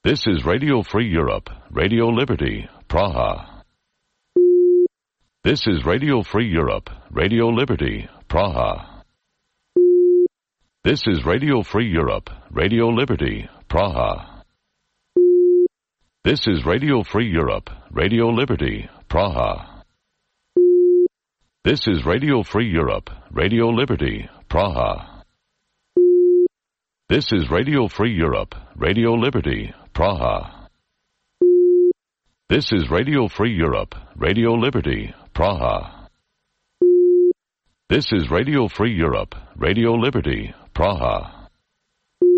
This is Radio Free Europe, Radio Liberty, Praha. This is Radio Free Europe, Radio Liberty, Praha. This is Radio Free Europe, Radio Liberty, Praha. This is Radio Free Europe, Radio Liberty, Praha. This is Radio Free Europe, Radio Liberty, Praha. This is Radio Free Europe, Radio Liberty, Praha. This is Radio Free Europe, Radio Liberty, Praha.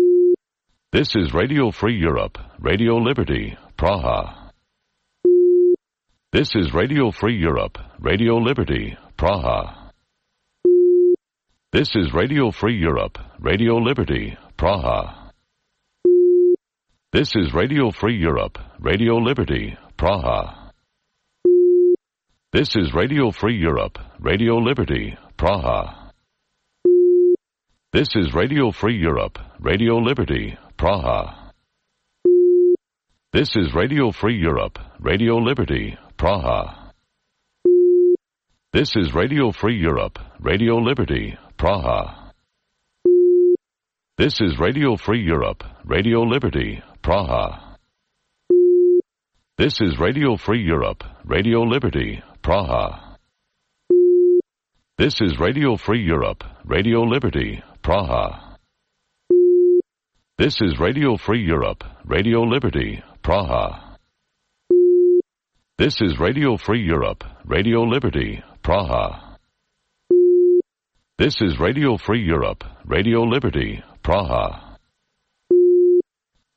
This is Radio Free Europe, Radio Liberty, Praha. This is Radio Free Europe, Radio Liberty, Praha. This is Radio Free Europe, Radio Liberty, Praha. This is Radio Free Europe, Radio Liberty, Praha. This is Radio Free Europe, Radio Liberty, Praha. This is Radio Free Europe, Radio Liberty, Praha. This is Radio Free Europe, Radio Liberty, Praha. This is Radio Free Europe, Radio Liberty, Praha. This is Radio Free Europe, Radio Liberty, Praha. This is Radio Free Europe, Radio Liberty, Praha. This is Radio Free Europe, Radio Liberty, Praha. This is Radio Free Europe, Radio Liberty, Praha. This is Radio Free Europe, Radio Liberty, Praha. This is Radio Free Europe, Radio Liberty, Praha. This is Radio Free Europe, Radio Liberty, Praha.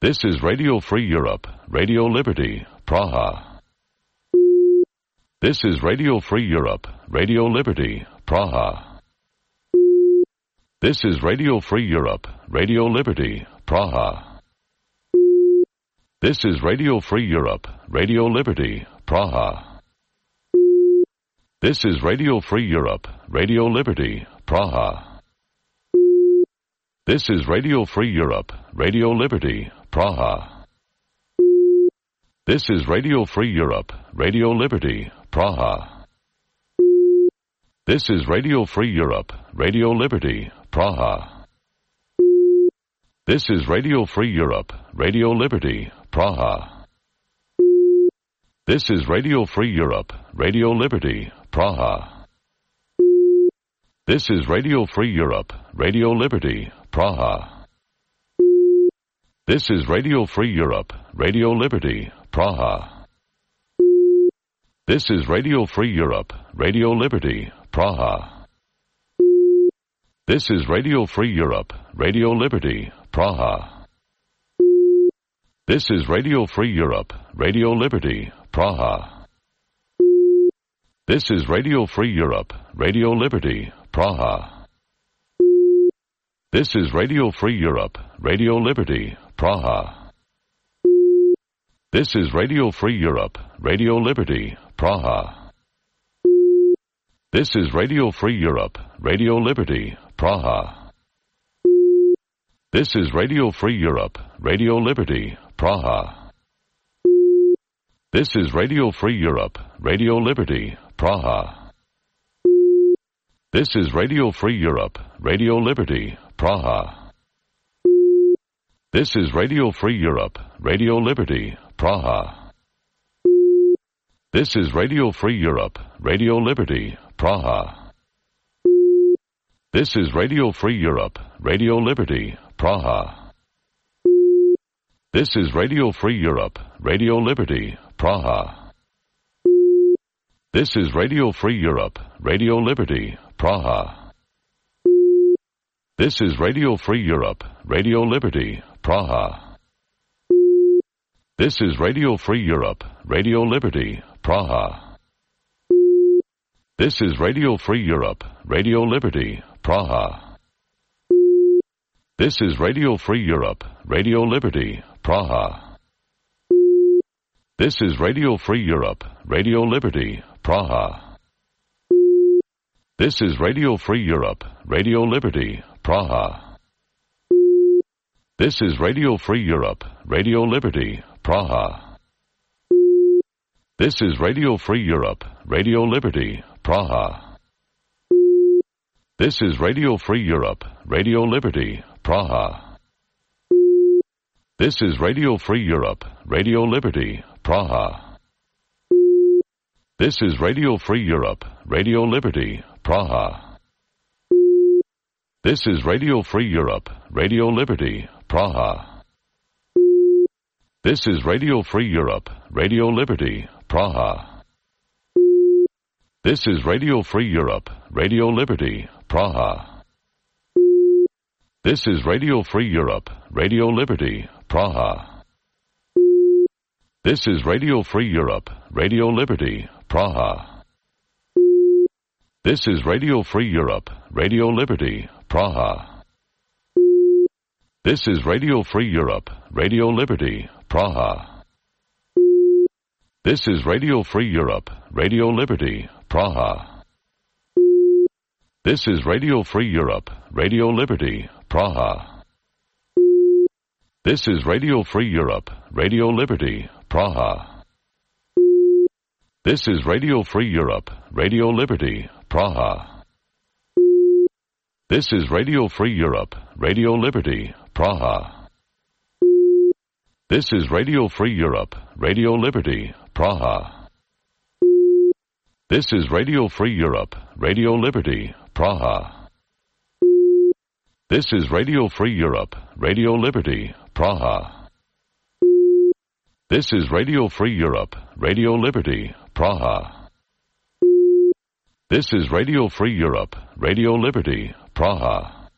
This is Radio Free Europe, Radio Liberty, Praha. This is Radio Free Europe, Radio Liberty, Praha. This is Radio Free Europe, Radio Liberty, Praha. This is Radio Free Europe, Radio Liberty, Praha. This is Radio Free Europe, Radio Liberty, Praha. This is Radio Free Europe, Radio Liberty, Praha. This is Radio Free Europe, Radio Liberty, Praha. This is Radio Free Europe, Radio Liberty, Praha. This is Radio Free Europe, Radio Liberty, Praha. This is Radio Free Europe, Radio Liberty, Praha. This is Radio Free Europe, Radio Liberty, Praha. This is Radio Free Europe, Radio Liberty, Praha. This is Radio Free Europe, Radio Liberty, Praha. This is Radio Free Europe, Radio Liberty, Praha. This is Radio Free Europe, Radio Liberty, Praha. This is Radio Free Europe, Radio Liberty, Praha. This is Radio Free Europe, Radio Liberty, Praha. This is Radio Free Europe, Radio Liberty, Praha. This is Radio Free Europe, Radio Liberty, Praha. This is Radio Free Europe, Radio Liberty, Praha. This is Radio Free Europe, Radio Liberty, Praha. This is Radio Free Europe, Radio Liberty, Praha. This is Radio Free Europe, Radio Liberty, Praha. This is Radio Free Europe, Radio Liberty, Praha. This is Radio Free Europe, Radio Liberty, Praha. This is Radio Free Europe, Radio Liberty, Praha. This is Radio Free Europe, Radio Liberty, Praha. This is Radio Free Europe, Radio Liberty, Praha. This is Radio Free Europe, Radio Liberty, Praha. This is Radio Free Europe, Radio Liberty, Praha. This is Radio Free Europe, Radio Liberty, Praha. This is Radio Free Europe, Radio Liberty, Praha. This is Radio Free Europe, Radio Liberty, Praha. This is Radio Free Europe, Radio Liberty, Praha. This is Radio Free Europe, Radio Liberty, Praha. This is Radio Free Europe, Radio Liberty, Praha. This is Radio Free Europe, Radio Liberty, Praha. This is Radio Free Europe, Radio Liberty, Praha. This is Radio Free Europe, Radio Liberty, Praha. This is Radio Free Europe, Radio Liberty, Praha. This is Radio Free Europe, Radio Liberty, Praha. This is Radio Free Europe, Radio Liberty, Praha. This is Radio Free Europe, Radio Liberty, Praha. This is Radio Free Europe, Radio Liberty, Praha. This is Radio Free Europe, Radio Liberty, Praha. This is Radio Free Europe, Radio Liberty, Praha. This is Radio Free Europe, Radio Liberty, Praha. This is Radio Free Europe, Radio Liberty, Praha. This is Radio Free Europe, Radio Liberty, Praha. This is Radio Free Europe, Radio Liberty, Praha. This is Radio Free Europe, Radio Liberty, Praha. This is Radio Free Europe, Radio Liberty, Praha. This is Radio Free Europe, Radio Liberty, Praha. This is Radio Free Europe, Radio Liberty, Praha. This is Radio Free Europe, Radio Liberty, Praha.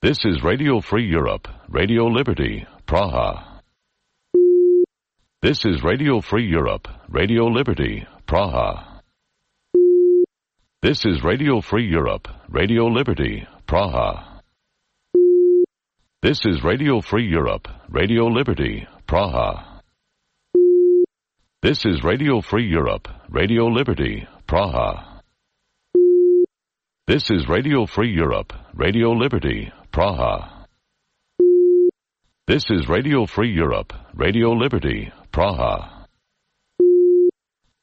This is Radio Free Europe, Radio Liberty, Praha. This is Radio Free Europe, Radio Liberty, Praha. This is Radio Free Europe, Radio Liberty, Praha. This is Radio Free Europe, Radio Liberty, Praha. This is Radio Free Europe, Radio Liberty, Praha. This is Radio Free Europe, Radio Liberty, Praha. This is Radio Free Europe, Radio Liberty, Praha.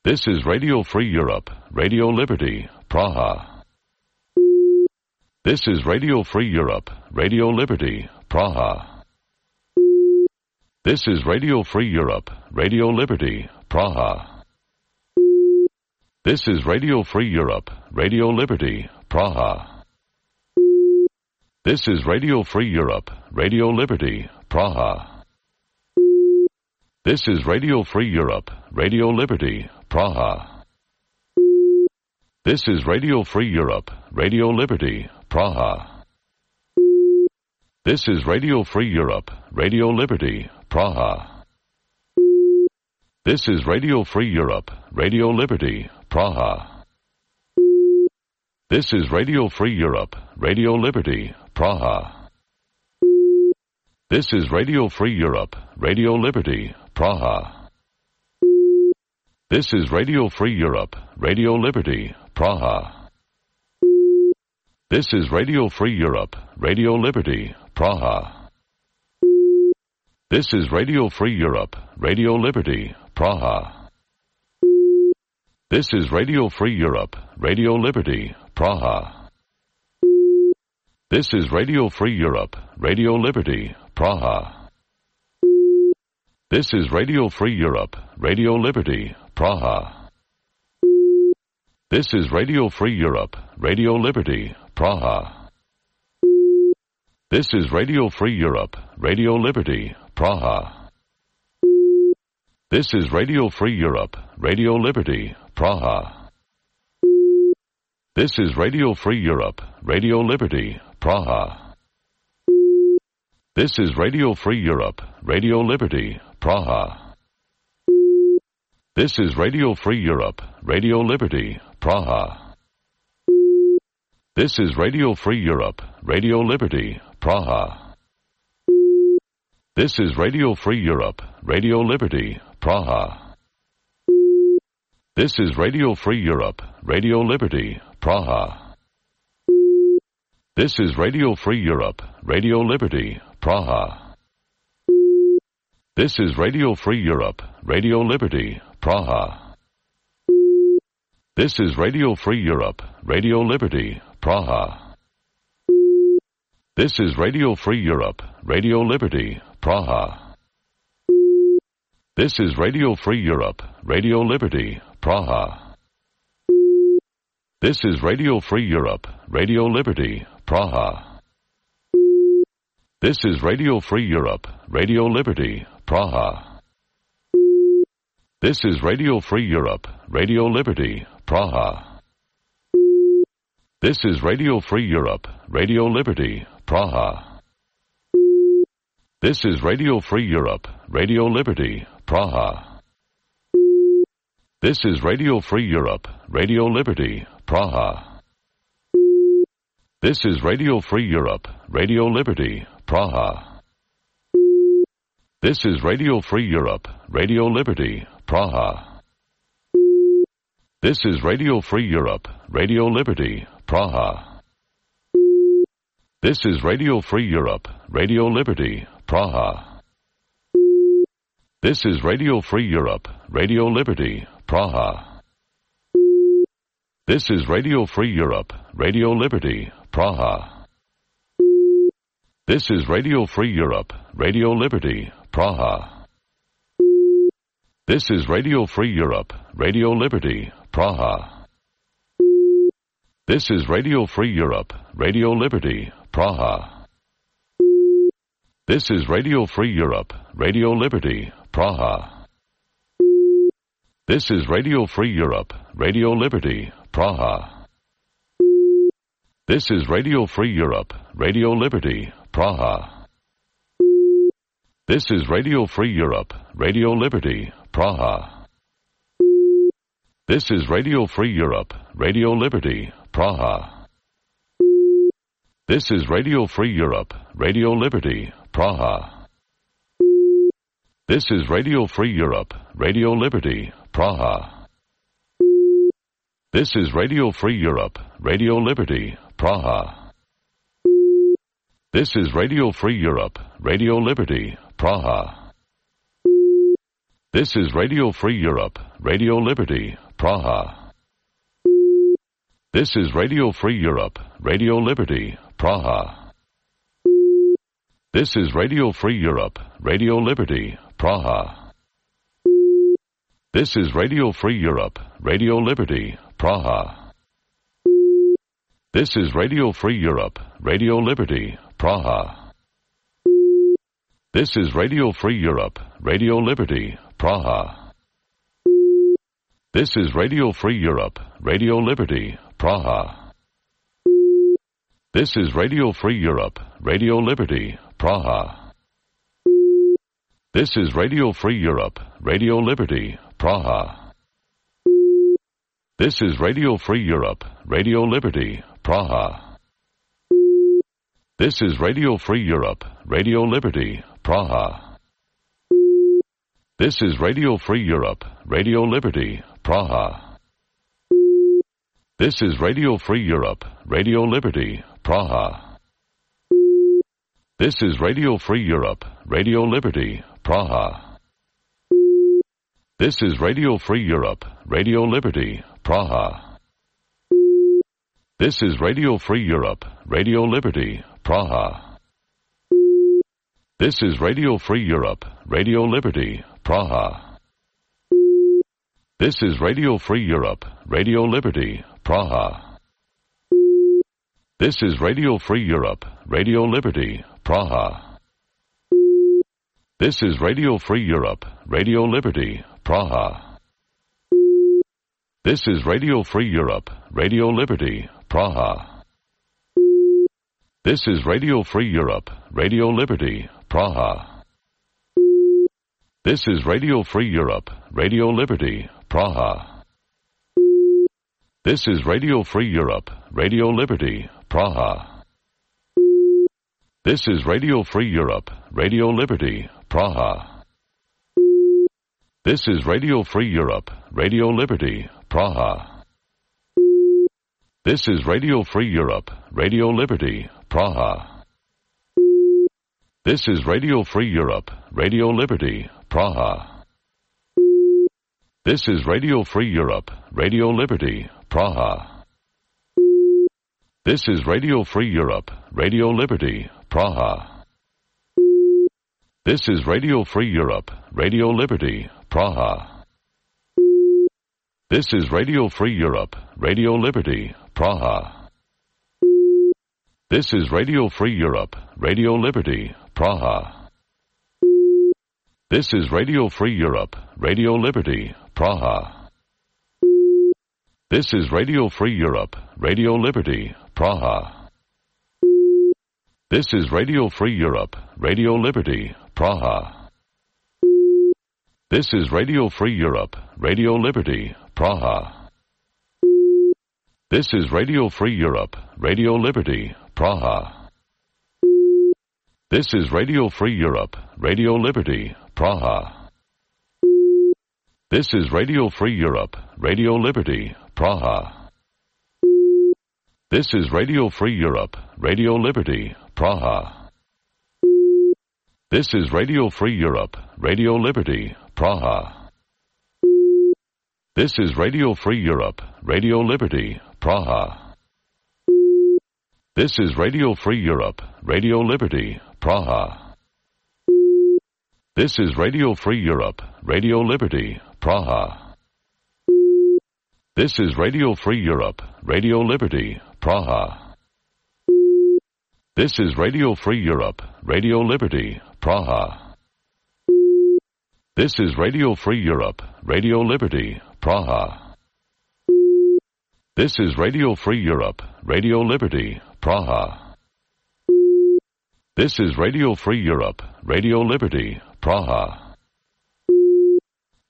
This is Radio Free Europe, Radio Liberty, Praha. This is Radio Free Europe, Radio Liberty, Praha. This is Radio Free Europe, Radio Liberty, Praha. This is Radio Free Europe, Radio Liberty, Praha. This is Radio Free Europe, Radio Liberty, Praha. This is Radio Free Europe, Radio Liberty, Praha. This is Radio Free Europe, Radio Liberty, Praha. This is Radio Free Europe, Radio Liberty, Praha. This is Radio Free Europe, Radio Liberty, Praha. This is Radio Free Europe, Radio Liberty, Praha. This is Radio Free Europe, Radio Liberty, Praha. This is Radio Free Europe, Radio Liberty, Praha. This is Radio Free Europe, Radio Liberty, Praha. This is Radio Free Europe, Radio Liberty, Praha. This is Radio Free Europe, Radio Liberty, Praha. This is Radio Free Europe, Radio Liberty, Praha. This is Radio Free Europe, Radio Liberty, Praha. This is Radio Free Europe, Radio Liberty, Praha. This is Radio Free Europe, Radio Liberty, Praha. This is Radio Free Europe, Radio Liberty, Praha. This is Radio Free Europe, Radio Liberty, Praha. This is Radio Free Europe, Radio Liberty, Praha. This is Radio Free Europe, Radio Liberty, Praha. This is Radio Free Europe, Radio Liberty, Praha. This is Radio Free Europe, Radio Liberty, Praha. This is Radio Free Europe, Radio Liberty, Praha. This is Radio Free Europe, Radio Liberty, Praha. This is Radio Free Europe, Radio Liberty, Praha. This is Radio Free Europe, Radio Liberty, Praha. This is Radio Free Europe, Radio Liberty, Praha. This is Radio Free Europe, Radio Liberty, Praha. This is Radio Free Europe, Radio Liberty, Praha. This is Radio Free Europe, Radio Liberty, Praha. This is Radio Free Europe, Radio Liberty, Praha. This is Radio Free Europe, Radio Liberty, Praha. This is Radio Free Europe, Radio Liberty, Praha. This is Radio Free Europe, Radio Liberty, Praha. This is Radio Free Europe, Radio Liberty, Praha. This is Radio Free Europe, Radio Liberty, Praha. This is Radio Free Europe, Radio Liberty, Praha. This is Radio Free Europe, Radio Liberty, Praha. This is Radio Free Europe, Radio Liberty, Praha. This is Radio Free Europe, Radio Liberty, Praha. This is Radio Free Europe, Radio Liberty, Praha. This is Radio Free Europe, Radio Liberty, Praha. This is Radio Free Europe, Radio Liberty, Praha. This is Radio Free Europe, Radio Liberty, Praha. This is Radio Free Europe, Radio Liberty, Praha. This is Radio Free Europe, Radio Liberty, Praha. This is Radio Free Europe, Radio Liberty, Praha. This is Radio Free Europe, Radio Liberty, Praha. This is Radio Free Europe, Radio Liberty, Praha. This is Radio Free Europe, Radio Liberty, Praha. This is Radio Free Europe, Radio Liberty, Praha. This is Radio Free Europe, Radio Liberty, Praha. This is Radio Free Europe, Radio Liberty, Praha. This is Radio Free Europe, Radio Liberty, Praha. This is Radio Free Europe, Radio Liberty, Praha. This is Radio Free Europe, Radio Liberty, Praha. This is Radio Free Europe, Radio Liberty, Praha. This is Radio Free Europe, Radio Liberty, Praha. This is Radio Free Europe, Radio Liberty, Praha. This is Radio Free Europe, Radio Liberty, Praha. This is Radio Free Europe, Radio Liberty, Praha. This is Radio Free Europe, Radio Liberty, Praha. This is Radio Free Europe, Radio Liberty, Praha. This is Radio Free Europe, Radio Liberty, Praha. This is Radio Free Europe, Radio Liberty, Praha. This is Radio Free Europe, Radio Liberty, Praha. This is Radio Free Europe, Radio Liberty, Praha. This is Radio Free Europe, Radio Liberty, Praha. This is Radio Free Europe, Radio Liberty, Praha. This is Radio Free Europe, Radio Liberty, Praha. This is Radio Free Europe, Radio Liberty, Praha. This is Radio Free Europe, Radio Liberty, Praha. This is Radio Free Europe, Radio Liberty, Praha. This is Radio Free Europe, Radio Liberty, Praha. This is Radio Free Europe, Radio Liberty, Praha. This is Radio Free Europe, Radio Liberty, Praha. This is Radio Free Europe, Radio Liberty, Praha. This is Radio Free Europe, Radio Liberty, Praha. This is Radio Free Europe, Radio Liberty, Praha. This is Radio Free Europe, Radio Liberty, Praha. This is Radio Free Europe, Radio Liberty, Praha. This is Radio Free Europe, Radio Liberty, Praha. This is Radio Free Europe, Radio Liberty, Praha. This is Radio Free Europe, Radio Liberty, Praha. This is Radio Free Europe, Radio Liberty, Praha. This is Radio Free Europe, Radio Liberty, Praha. This is Radio Free Europe, Radio Liberty, Praha. This is Radio Free Europe, Radio Liberty, Praha. This is Radio Free Europe, Radio Liberty, Praha. This is Radio Free Europe, Radio Liberty, Praha. This is Radio Free Europe, Radio Liberty, Praha. This is Radio Free Europe, Radio Liberty, Praha. This is Radio Free Europe, Radio Liberty, Praha. This is Radio Free Europe, Radio Liberty, Praha. This is Radio Free Europe, Radio Liberty, Praha. This is Radio Free Europe, Radio Liberty, Praha. This is Radio Free Europe, Radio Liberty, Praha. This is Radio Free Europe, Radio Liberty, Praha. This is Radio Free Europe, Radio Liberty, Praha. This is Radio Free Europe, Radio Liberty, Praha. This is Radio Free Europe, Radio Liberty, Praha. This is Radio Free Europe, Radio Liberty, Praha.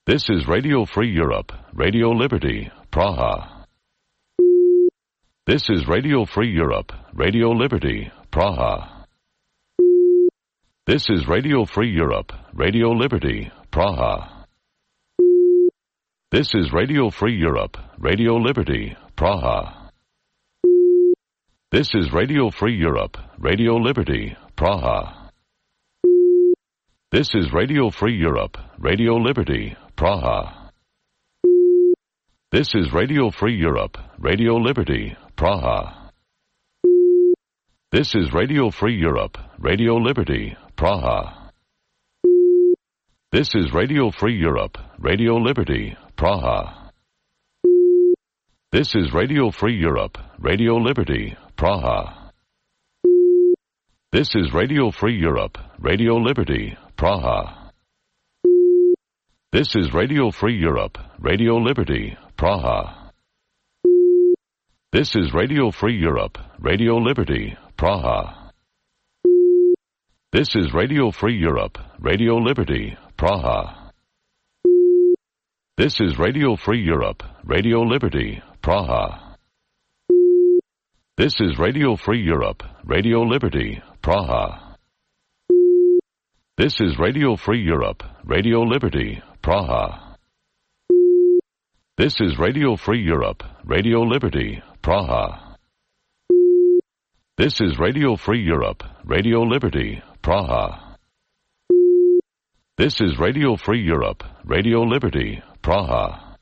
This is Radio Free Europe, Radio Liberty, Praha. This is Radio Free Europe, Radio Liberty, Praha. This is Radio Free Europe, Radio Liberty, Praha. This is Radio Free Europe, Radio Liberty, Praha. This is Radio Free Europe, Radio Liberty, Praha. This is Radio Free Europe, Radio Liberty, Praha. This is Radio Free Europe, Radio Liberty, Praha. This is Radio Free Europe, Radio Liberty, Praha. This is Radio Free Europe, Radio Liberty, Praha. This is Radio Free Europe, Radio Liberty, Praha. This is Radio Free Europe, Radio Liberty, Praha. This is Radio Free Europe, Radio Liberty, Praha. This is Radio Free Europe, Radio Liberty, Praha. This is Radio Free Europe, Radio Liberty, Praha. This is Radio Free Europe, Radio Liberty, Praha. This is Radio Free Europe, Radio Liberty, Praha. This is Radio Free Europe, Radio Liberty, Praha. This is Radio Free Europe, Radio Liberty, Praha. This is Radio Free Europe, Radio Liberty, Praha. This is Radio Free Europe, Radio Liberty, Praha.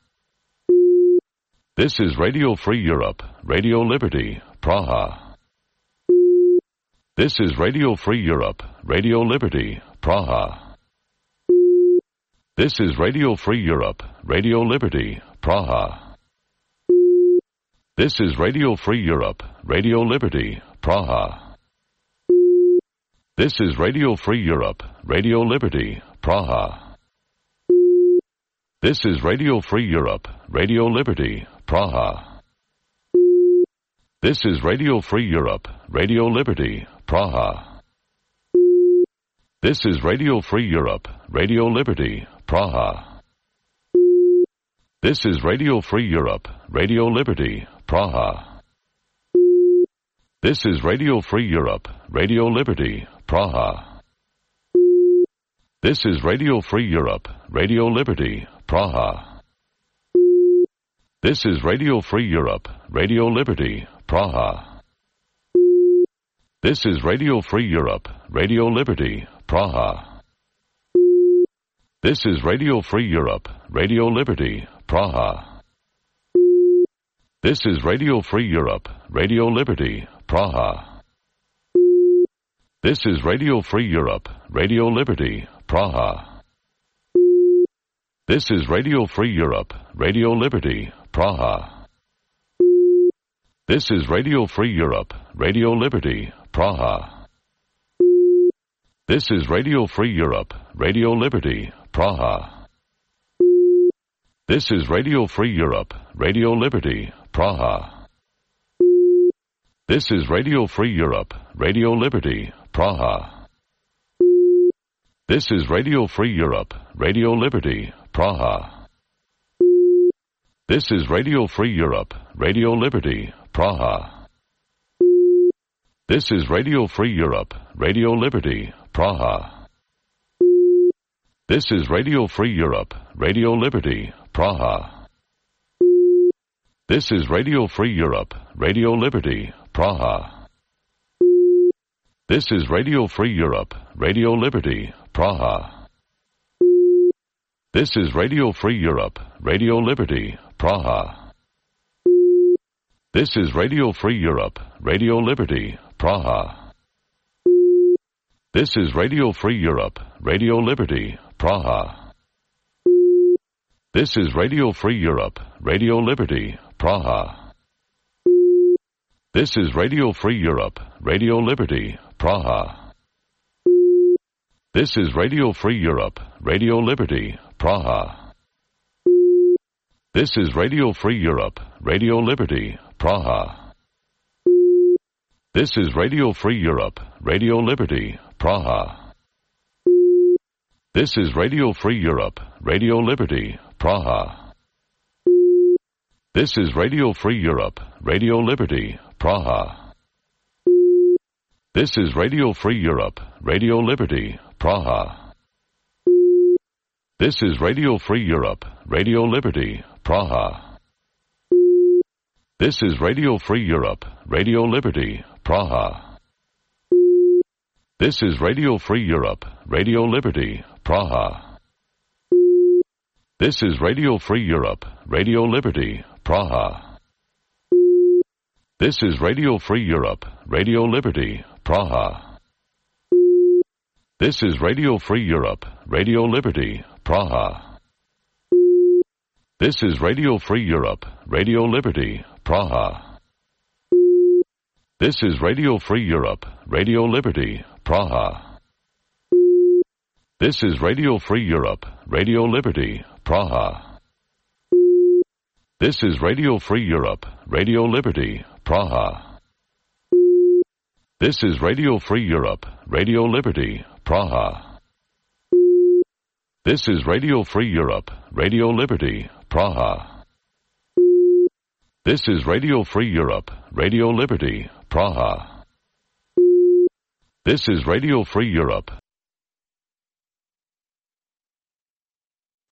This is Radio Free Europe, Radio Liberty, Praha. This is Radio Free Europe, Radio Liberty, Praha. This is Radio Free Europe, Radio Liberty, Praha. This is Radio Free Europe, Radio Liberty, Praha. This is Radio Free Europe, Radio Liberty, Praha. This is Radio Free Europe, Radio Liberty, Praha. This is Radio Free Europe, Radio Liberty, Praha. This is Radio Free Europe, Radio Liberty, Praha. This is Radio Free Europe, Radio Liberty, Praha. This is Radio Free Europe, Radio Liberty, Praha. This is Radio Free Europe, Radio Liberty, Praha. This is Radio Free Europe, Radio Liberty, Praha. This is Radio Free Europe, Radio Liberty, Praha. This is Radio Free Europe, Radio Liberty, Praha. This is Radio Free Europe, Radio Liberty, Praha. This is Radio Free Europe, Radio Liberty, Praha. This is Radio Free Europe, Radio Liberty, Praha. This is Radio Free Europe, Radio Liberty, Praha. This is Radio Free Europe, Radio Liberty, Praha. This is Radio Free Europe, Radio Liberty, Praha. This is Radio Free Europe, Radio Liberty, Praha. This is Radio Free Europe, Radio Liberty, Praha. This is Radio Free Europe, Radio Liberty, Praha. This is Radio Free Europe, Radio Liberty, Praha. This is Radio Free Europe, Radio Liberty, Praha. This is Radio Free Europe, Radio Liberty, Praha. This is Radio Free Europe, Radio Liberty, Praha. This is Radio Free Europe, Radio Liberty, Praha. This is Radio Free Europe, Radio Liberty, Praha. This is Radio Free Europe, Radio Liberty, Praha. This is Radio Free Europe, Radio Liberty, Praha. This is Radio Free Europe, Radio Liberty, Praha. This is Radio Free Europe, Radio Liberty, Praha. This is Radio Free Europe, Radio Liberty, Praha. This is Radio Free Europe, Radio Liberty, Praha. This is Radio Free Europe, Radio Liberty, Praha. This is Radio Free Europe, Radio Liberty, Praha. This is Radio Free Europe, Radio Liberty, Praha. This is Radio Free Europe, Radio Liberty, Praha. This is Radio Free Europe, Radio Liberty, Praha. This is Radio Free Europe, Radio Liberty, Praha. This is Radio Free Europe, Radio Liberty, Praha. This is Radio Free Europe, Radio Liberty, Praha. This is Radio Free Europe, Radio Liberty, Praha. This is Radio Free Europe, Radio Liberty, Praha. This is Radio Free Europe, Radio Liberty, Praha. This is Radio Free Europe, Radio Liberty, Praha. This is Radio Free Europe, Radio Liberty, Praha. This is Radio Free Europe, Radio Liberty, Praha. This is Radio Free Europe, Radio Liberty, Praha. This is Radio Free Europe, Radio Liberty, Praha. This is Radio Free Europe,